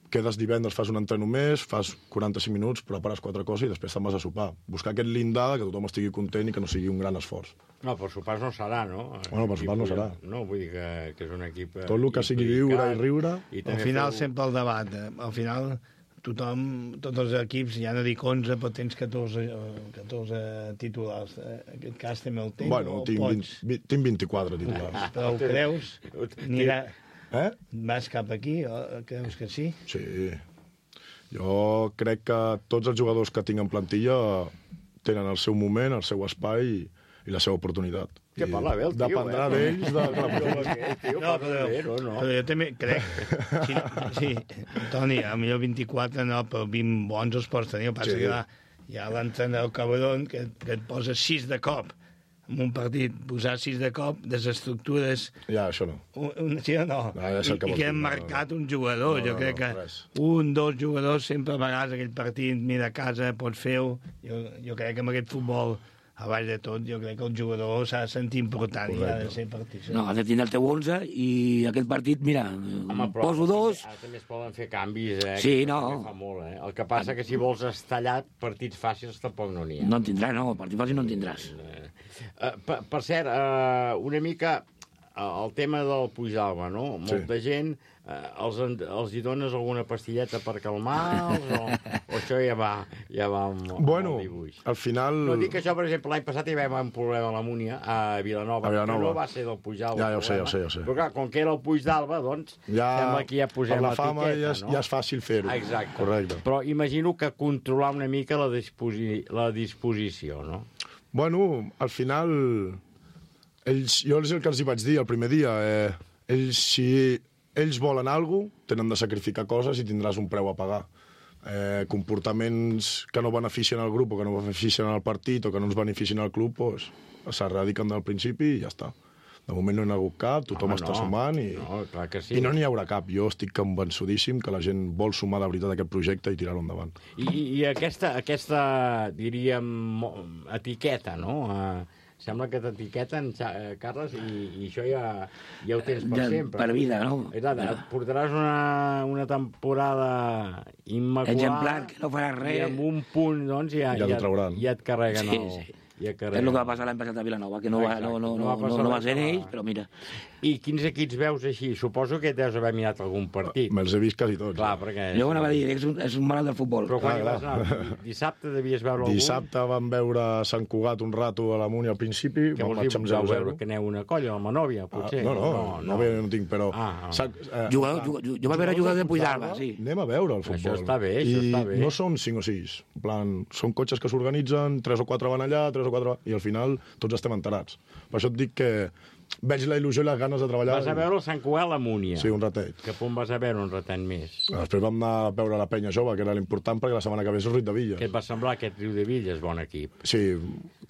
quedes divendres, fas un entreno més, fas 45 minuts, prepares 4 coses i després te'n vas a sopar. Buscar aquest llindar que tothom estigui content i que no sigui un gran esforç. No, per sopars no serà, no? Bueno, per sopars no serà. No, vull dir que és un equip... Tot el que sigui viure i riure... Al final sempre el debat. Al final tothom, tots els equips, ja no dic 11, però tens 14 titulars. En aquest cas també el tens o pots? Tinc 24 titulars. Però ho creus? Vas cap aquí? Creus que sí? Sí. Jo crec que tots els jugadors que tinc en plantilla tenen el seu moment, el seu espai i la seva oportunitat. Que parla bé el tio, dependrà d'ells de la però jo també crec... Sí, Toni, potser 24 no, però 20 bons els pots tenir. Passa que hi ha l'entrenador cabron que et posa 6 de cop. En un partit, posar 6 de cop, desestructures... Ja, això no. Sí o no? I que hem marcat un jugador. Jo crec que 1, 2 jugadors sempre a vegades aquell partit, mira, a casa, pots fer-ho. Jo crec que amb aquest futbol, a baix de tot, jo crec que el jugador s'ha de sentir important i ha de ser partit. No, ha de tenir el teu 11 i aquest partit, mira, poso 2... Ara també es poden fer canvis, Sí, no. Fa molt, El que passa que si vols estallar partits fàcils tampoc no n'hi ha. No en tindràs, no. Partit fàcil no en tindràs. Per cert, una mica el tema del Puigdàlber, no? Molta gent, els hi dones alguna pastilleta per calmar-los, o això ja va amb el dibuix? Al final... No, dic que això, per exemple, l'any passat hi va haver un problema a la Múnia, a Vilanova, que no va ser del Puigdàlber. Ja ho sé. Però clar, com que era el Puigdàlber, doncs, sembla que ja posem la fama l'etiqueta, no? Ja és fàcil fer-ho. Exacte. Correcte. Però imagino que controlar una mica la disposició, no? Bueno, al final... Jo és el que els hi vaig dir el primer dia. Si ells volen alguna cosa, tenen de sacrificar coses i tindràs un preu a pagar. Comportaments que no beneficien al grup o que no beneficien al partit o que no ens beneficien al club, doncs s'erradiquen del principi i ja està. De moment no hi ha hagut cap, tothom està sumant i no n'hi haurà cap. Jo estic convençudíssim que la gent vol sumar de veritat aquest projecte i tirar-lo endavant. I aquesta diríem, etiqueta, no? Sembla que t'etiqueten, Carles, i això ja ho tens per sempre. Per vida, no? Portaràs una temporada immaculada... Exemplar, que no faràs res. I amb un punt, doncs, ja et carreguen el... És el que va passar l'any passat a Vilanova, que no va ser ells, però mira. I quins equips veus així? Suposo que deus haver mirat algun partit. Me'ls he vist quasi tots. Clar, perquè... Jo anava a dir, és un malalt del futbol. Però quan vas anar? Dissabte devies veure algun? Dissabte vam veure Sant Cugat un rato a la Múnia al principi. Què vols dir? Vau veure que aneu una colla, el Manòvia, potser? No tinc, però... Jo vaig veure jugadors de Puigdàlber, sí. Anem a veure el futbol. Això està bé, I no són 5 o 6. En plan, són cotxes que s'organitzen, 3 o 4 van allà, 3 o 4... I al final tots estem enterats. Per això et dic que veig la il·lusió i les ganes de treballar. Vas a veure el Sant Cugat a la Múnia. Sí, un ratet. Que on vas a veure un ratet més? Després vam anar a veure la Penya Jove, que era l'important, perquè la setmana que ve és el Riudevilles. Què et va semblar aquest Riudevilles? Bon equip. Sí,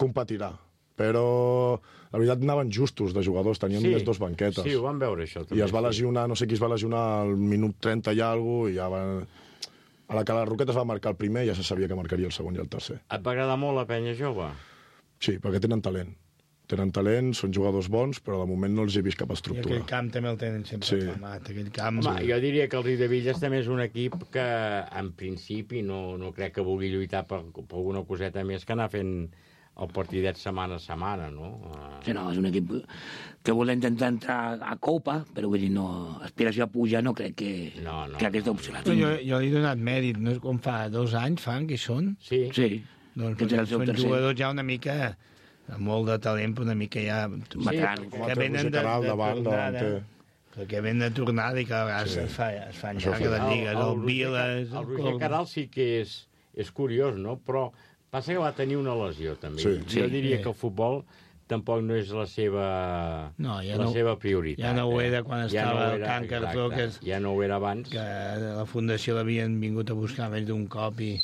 competirà. Però la veritat anaven justos de jugadors, tenien només 2 banquetes. Sí, ho vam veure això. I es va lesionar, no sé qui es va lesionar al minut 30 i alguna cosa, i ja va... A la que la Roqueta es va marcar el primer, ja se sabia que marcaria el segon i el tercer. Et va agradar molt la Penya Jove? Sí, perquè tenen talent. Tenen talent, són jugadors bons, però de moment no els he vist cap estructura. I aquell camp també el tenen sempre aclamat. Home, jo diria que el Riudevilles també és un equip que, en principi, no crec que vulgui lluitar per alguna coseta més que anar fent el partidet setmana a setmana, no? Sí, no, és un equip que vol intentar entrar a Copa, però vull dir, no, aspiració a pujar no crec que aquesta opció la tingui. Jo li he donat mèrit, no és com fa 2 anys, fan, que són? Sí. Doncs són jugadors ja una mica amb molt de talent, però una mica ja... que venen de tornada. Que venen de tornada i que a vegades es fan llarga de lligues. El Viles... El Roger Caral sí que és curiós, no? Però passa que va tenir una lesió, també. Jo diria que el futbol tampoc no és la seva prioritat. Ja no ho era quan estava el Can Cartó, ja no ho era abans. Que la Fundació l'havien vingut a buscar més d'un cop i...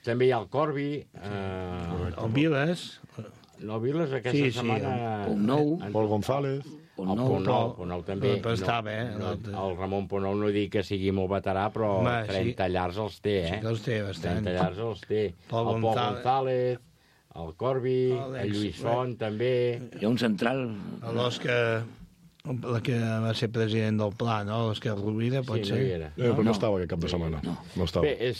També hi ha el Corbi. El Viles. El Viles aquesta setmana... Pol González. Ponou també. Però està bé. El Ramon Ponou no dic que sigui molt veterà, però 30 llargs els té, Sí que els té, bastant. 30 llargs els té. Pol González, el Corbi, el Lluís Font, també. Hi ha un central... L'Òscar... La que va ser president del Pla, no? L'Òscar Rovira, pot ser? Sí, no hi era. Però no estava aquest cap de setmana. No estava. Bé,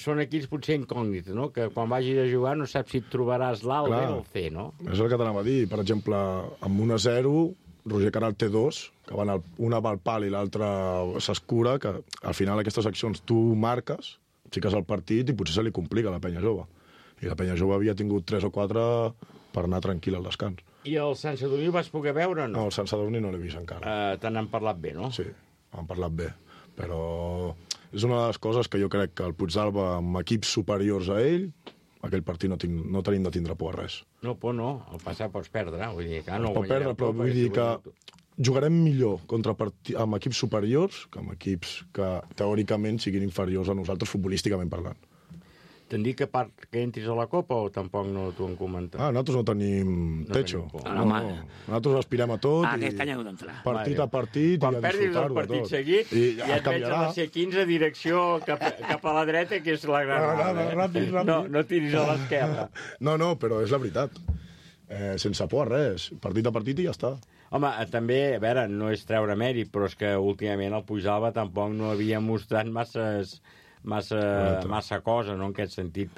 són equips potser incògnits, no? Que quan vagis a jugar no saps si et trobaràs l'A, el B o el C, no? És el que t'anava a dir. Per exemple, amb 1-0, Roger Caral té 2, que van una va al pal i l'altra s'escura, que al final aquestes accions tu marques, fiques el partit i potser se li complica a la Penya Jove. I la Penya Jove havia tingut 3 o 4 per anar tranquil al descans. I el Sant Sadurní el vas poder veure o no? No, el Sant Sadurní no l'he vist encara. Te n'han parlat bé, no? Sí, han parlat bé. Però és una de les coses que jo crec que el Puigdàlber, amb equips superiors a ell, aquell partit no tenim de tindre por a res. No, por no. El passat pots perdre. Vull dir que no pot perdre, però vull dir que jugarem millor amb equips superiors que amb equips que teòricament siguin inferiors a nosaltres futbolísticament parlant. T'han dit que entris a la Copa o tampoc no t'ho han comentat? Nosaltres no tenim techo. Nosaltres aspirem a tot. Aquest any heu d'entrar. Partit a partit. Quan perdis el partit seguit, ja et veig a la C15 direcció cap a la dreta, que és la Granada. Ràpid. No tiris a l'esquerra. No, però és la veritat. Sense por a res. Partit a partit i ja està. Home, també, a veure, no és treure mèrit, però és que últimament el Puigdàlber tampoc no havia mostrat massa cosa, no?, en aquest sentit,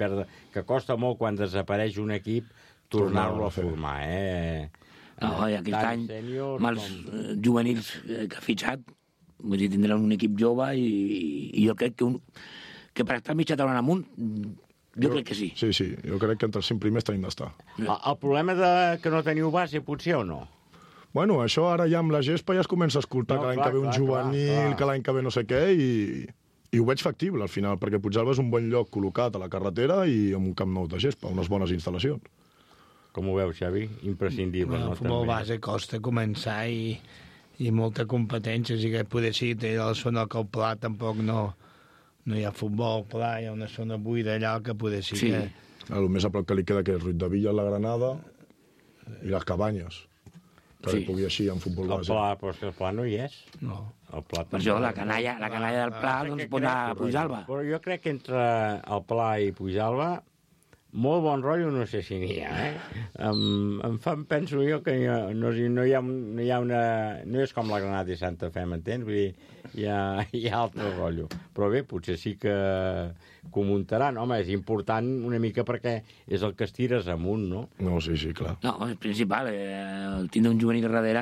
que costa molt quan desapareix un equip tornar-lo a formar, Aquest any, amb els juvenils que ha fitxat, vull dir, tindran un equip jove i jo crec que per estar mitja taula amunt, jo crec que sí. Sí, jo crec que entre els 5 primers tenim d'estar. El problema que no teniu base, potser, o no? Bueno, això ara ja amb la gespa ja es comença a escoltar que l'any que ve un juvenil, que l'any que ve no sé què, i ho veig factible al final, perquè Puigdàlber és un bon lloc col·locat a la carretera i amb un camp nou de gespa, unes bones instal·lacions. Com ho veus, Xavi? Imprescindible, no? El futbol base costa començar i molta competència, i que poder sí, té la zona que el Pla tampoc no hi ha futbol, Pla, hi ha una zona buida allà que poder sí que... El més a prop que li queda que és Ruiz de Villa, la Granada i les Cabanyes, que li pugui així en futbol base. Però és que el Pla no hi és. No. Per això la canalla del Pla doncs pot anar a Puigdàlber. Però jo crec que entre el Pla i Puigdàlber molt bon rotllo no sé si n'hi ha, penso jo que no hi ha una... No és com la Granada i Santa Fe, m'entens? Vull dir, hi ha altre rotllo. Però bé, potser sí que ho muntaran. Home, és important una mica perquè és el que estires amunt, no? No, sí, clar. No, és principal. El tindre un juvenil darrere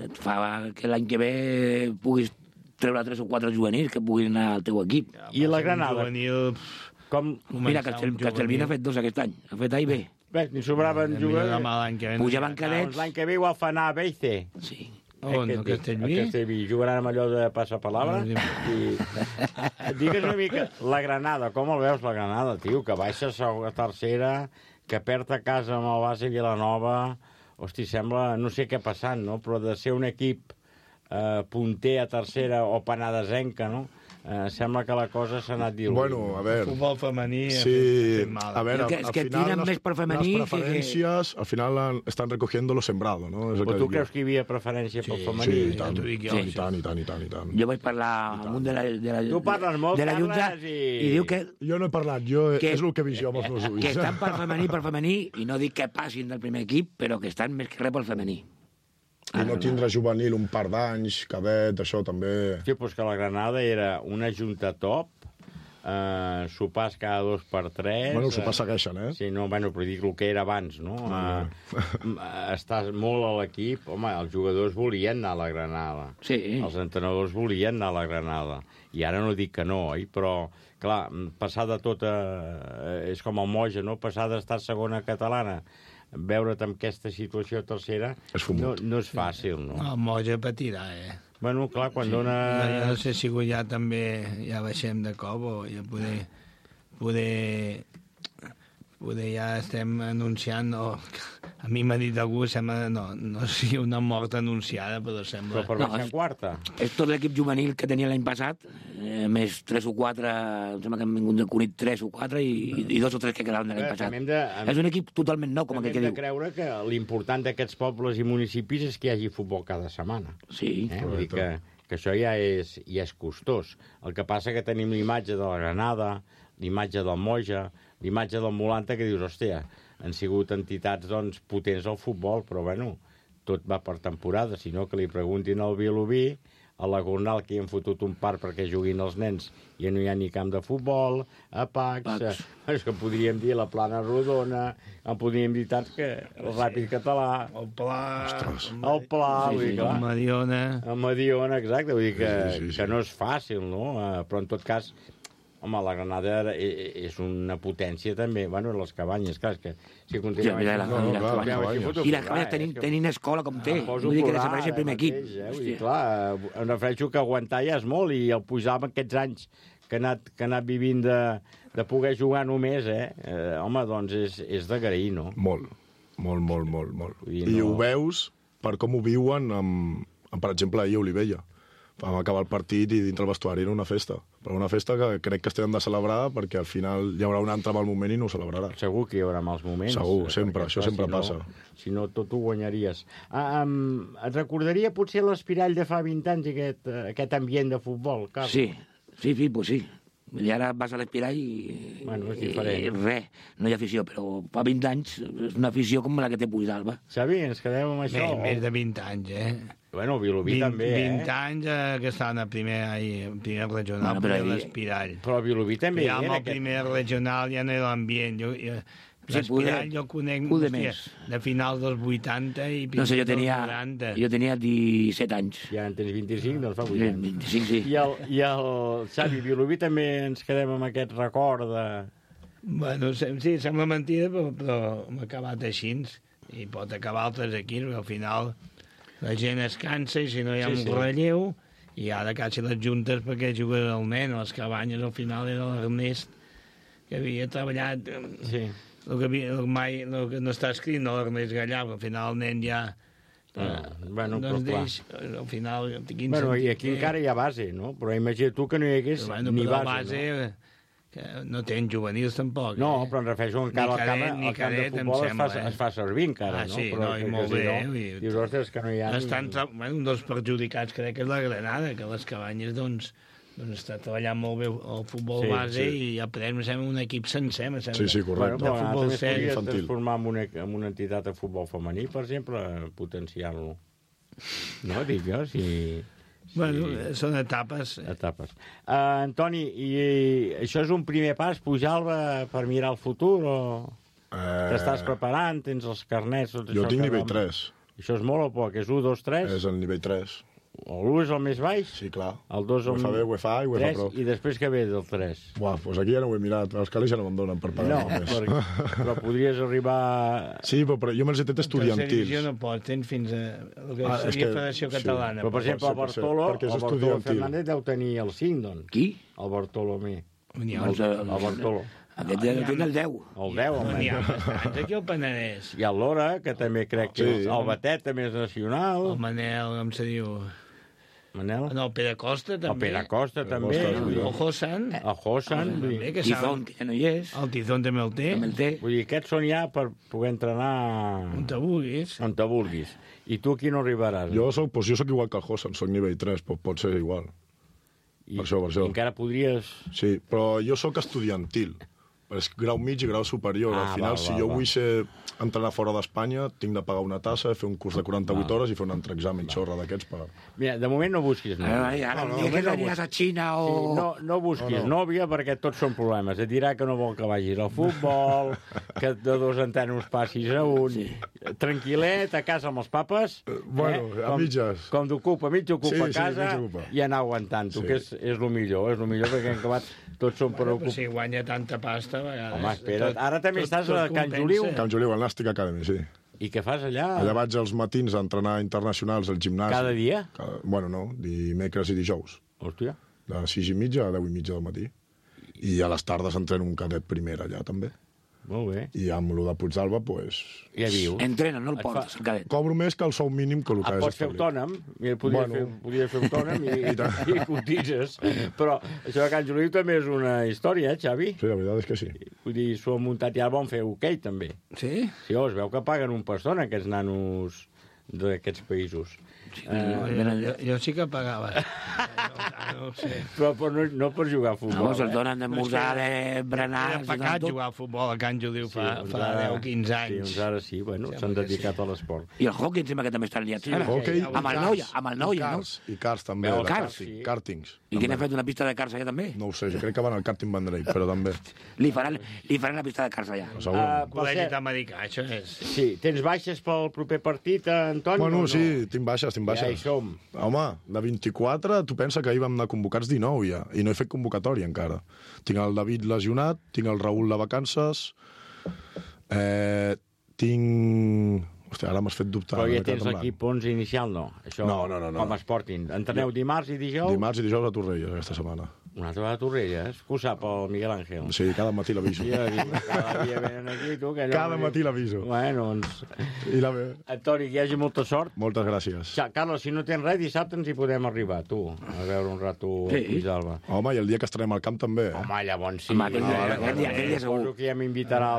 et fa que l'any que ve puguis treure 3 o 4 juvenils que puguin anar al teu equip. I la Granada? Mira, Castellví n'ha fet 2 aquest any. Ha fet A i B. Bé, ni sobraven jugadors. Pujaven cadets. L'any que ve igual fa anar a B i C. Sí. On, a Castellví? A Castellví. Jugaran amb allò de passapalabra. Digues una mica, la Granada, com el veus, la Granada, tio? Que baixa a tercera, que perd a casa amb el base Vilanova. Hosti, sembla... No sé què ha passat, no? Però de ser un equip punter a tercera o penadesenca, no? Sembla que la cosa s'ha anat diluint. Bueno, a veure... El futbol femení sí, mal. A veure, al final més per femení las preferencias al final están recogiendo lo sembrado, ¿no? Però tu creus que hi havia preferència pel femení? Sí, i tant. Jo vaig parlar amb un de la tu parles molt, de la Junta i diu que... Jo no he parlat, és el que he vist jo amb els meus ulls. Que estan per femení, i no dic que passin del primer equip, però que estan més que res pel femení. I no tindre juvenil un par d'anys, cadet, això també... Sí, doncs que la Granada era una junta top, sopars cada 2 per 3... Bueno, els sopars segueixen, Sí, no, bueno, però dic el que era abans, no? Estàs molt a l'equip... Home, els jugadors volien anar a la Granada. Sí. Els entrenadors volien anar a la Granada. I ara no dic que no, però, clar, passar de tot és com el Moja, no? Passar d'estar segona catalana, veure't en aquesta situació tercera no és fàcil, no? El Moja patirà, Bueno, clar, quan dona... Jo no sé si ja també ja baixem de cop o ja poder ja estem anunciant... A mi m'ha dit algú, sembla, no sigui una mort anunciada, però sembla... Però per baixar en quarta. És tot l'equip juvenil que tenia l'any passat, més 3 o 4, em sembla que han vingut de Cunit 3 o 4 i 2 o 3 que quedaven de l'any passat. És un equip totalment nou, com aquell que diu. Hem de creure que l'important d'aquests pobles i municipis és que hi hagi futbol cada setmana. Sí. Vull dir que això ja és costós. El que passa que tenim l'imatge de la Granada, l'imatge del Moja, l'imatge del Molanta, que dius, hòstia, han sigut entitats doncs, potents al futbol, però bueno, tot va per temporada, sinó que li preguntin al Vilobí, a la Gornal, que hi han fotut un parc perquè juguin els nens, i no hi ha ni camp de futbol, a Pacs, és que podríem dir la Plana Rodona, en podríem dir tants que el Ràpid Català, el Pla, el Mediona, exacte, vull dir que no és fàcil, no? Però en tot cas, home, la Granada és una potència també, bueno, les Cabanyes, clar, és que si continuem... I les Cabanyes tenint escola com té, vull dir que desapareix el primer equip. Clar, em refereixo que aguantar ja és molt, i el Puigdàlber aquests anys que ha anat vivint de poder jugar només, home, doncs és d'agrair, no? Molt. I ho veus per com ho viuen per exemple, ahir a Olivella. Vam acabar el partit i dintre el vestuari era una festa. Però una festa que crec que estem de celebrar perquè al final hi haurà un altre mal moment i no ho celebrarà. Segur que hi haurà mals moments. Segur, sempre, això sempre passa. Si no, tot ho guanyaries. Et recordaria potser l'Espirall de fa 20 anys, aquest ambient de futbol, Carles? Sí, pues sí. I ara vas a l'Espirall i... Bueno, és diferent. Res, no hi ha afició, però fa 20 anys és una afició com la que té Puigdàlber. Xavi, ens quedem amb això? Més de 20 anys, Bueno, Vilobí també, 20 anys que estaven a primer regional, bueno, l'Espirall. Però Vilobí també ja amb el primer regional ja no era l'ambient. L'Espiral jo conec de finals dels 80 i no sé, jo tenia 17 anys. I ara en tens 25, doncs fa 8 anys. 25, sí. I el Xavi Vilobí també ens quedem amb aquest record de... Bueno, sí, sembla mentida, però hem acabat així. I pot acabar altres aquí, perquè al final la gent es cansa i si no hi ha un relleu, i ara quasi les juntes perquè jugues el nen, a les cabanyes al final era l'Ernest, que havia treballat... Sí. El que no està escrit, no l'Ernest Gallà, però al final el nen ja... Bueno, però clar. Al final... Bueno, i aquí encara hi ha base, no? Però imagina tu que no hi hagués ni base, no? Que no tenen juvenils tampoc. No, però em refereixo encara al camp de futbol es fa servir encara, no? Sí, no, i molt bé. Dius, ostres, que no hi ha... Un dels perjudicats crec que és la Granada, que les cabanyes, doncs està treballant molt bé el futbol base i ja podem ser un equip sencer. Sí, correcte. Bueno, però també es podria transformar en una entitat de futbol femení, per exemple, potenciar-lo. No, dic jo, si... Bueno, són etapes. Antoni, i això és un primer pas, pujar-la per mirar el futur, o t'estàs preparant, tens els carnets... Jo tinc nivell 3. Això és molt o poc? És 1, 2, 3? És el nivell 3. L'1 és el més baix? Sí, clar. El 2 el... UEFA B, UEFA A i UEFA Pro. I després què ve del 3? Buah, doncs aquí ja no ho he mirat. Els calés ja no me'n donen per pagar més. Però podries arribar... Sí, però jo me'ls he tret estudiantils. En tercera divisió no pots, tens fins a... El que seria Federació Catalana. Però, per exemple, el Bartolo Fernández deu tenir el 5, doncs. Qui? El Bartolomé. El Bartolo. Aquest ja tenen el 10. El 10, home. N'hi ha bastants aquí al Penedès. I el Lora, que també crec que el Batet també és nacional. El Manel, com se diu... Manel? No, el Pere Costa, també. El Pere Costa, també. El Hosan. El Hosan. Tizón, que ja no hi és. El Tizón també el té. Vull dir, aquests són ja per poder entrenar... On te vulguis. On te vulguis. I tu aquí no arribaràs. Jo soc igual que el Hosan, soc nivell 3, pot ser igual. Per això. Encara podries... Sí, però jo soc estudiantil. És grau mig i grau superior. Al final, si jo vull entrenar fora d'Espanya, tinc de pagar una tassa, fer un curs de 48 hores i fer un entreexamen xorra d'aquests per... Mira, de moment no busquis nòvia. Ara que aniràs a Xina o... No busquis nòvia perquè tots són problemes. Et dirà que no vol que vagis al futbol, que de 2 en tant passis a un... Tranquil·let, a casa amb els papes. Bueno, a mitges. Com d'ocupa, mig ocupa a casa i anar aguantant-ho, que és el millor. És el millor perquè en acabat tots són per ocupar. Si guanya tanta pasta, a vegades... Home, espera't. Ara també estàs a Can Juliu. Can Juliu, al Nàstic Academy, sí. I què fas allà? Allà vaig als matins a entrenar internacionals al gimnàs. Cada dia? Bueno, no, dimecres i dijous. Hòstia. De 6:30 a 10:30 del matí. I a les tardes entreno un cadet primera allà, també. Molt bé. I amb el de Puigdàlber, doncs... Ja vius. Entrena, no el portes, el cadet. Cobro més que el sou mínim que el que és pots fer autònom, podries fer autònom i cotitzes. Però això de Can Juliu també és una història, Xavi? Sí, la veritat és que sí. Vull dir, s'ho han muntat i ara van fer hoquei, també. Sí? Sí, es veu que paguen un pastón, aquests nanos d'aquests països. Jo sí que pagava. No ho sé. Però no per jugar a futbol. No, se'ls donen de musar, de berenar... Era pecat jugar a futbol a Can Juliu fa 10 o 15 anys. Sí, uns ara sí, bueno, s'han dedicat a l'esport. I el hockey em sembla que també estan liats. Amb el Noia, no? I karts també. Kartings. I qui n'ha fet una pista de karts allà també? No ho sé, jo crec que van al karting Vendrell, però també. Li faran la pista de karts allà. Col·legi americà, això és. Sí, tens baixes pel proper partit, Antoni? Bueno, sí, tinc baixes. Ja hi som. Home, de 24, tu pensa que ahir vam anar convocats 19 ja, i no he fet convocatòria encara. Tinc el David lesionat, tinc el Raül de vacances, tinc... Hòstia, ara m'has fet dubtar. Però ja tens l'equip 11 inicial, no? Això, no. Com es portin. Entreneu dimarts i dijous? Dimarts i dijous a Torrelles, aquesta setmana. Una altra vegada a Torrelles? Que ho sap el Miguel Ángel? Sí, cada matí l'aviso. Cada dia venen aquí, tu... Cada matí l'aviso. Bueno, doncs... Antoni, que hi hagi molta sort. Moltes gràcies. Carlos, si no tens res, dissabte ens hi podem arribar, tu, a veure un rato a Puigdàlber. Home, i el dia que estarem al camp també. Home, llavors sí. Aquell dia segur. Suposo que ja m'invitarà a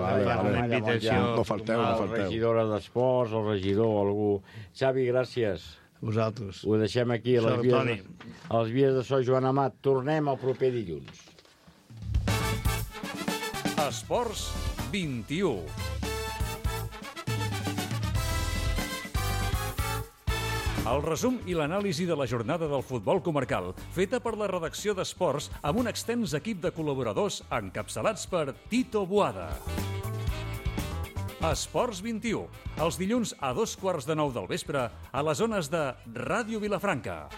l'encàrrec. No falteu. La regidora d'Esports, el regidor, algú. Xavi, gràcies. Vosaltres. Ho deixem aquí a les vies de so Joan Amat. Tornem el proper dilluns. Esports 21. El resum i l'anàlisi de la jornada del futbol comarcal, feta per la redacció d'Esports amb un extens equip de col·laboradors encapçalats per Tito Boada. Esports 21, els dilluns a 2:15 del vespre a les zones de Ràdio Vilafranca.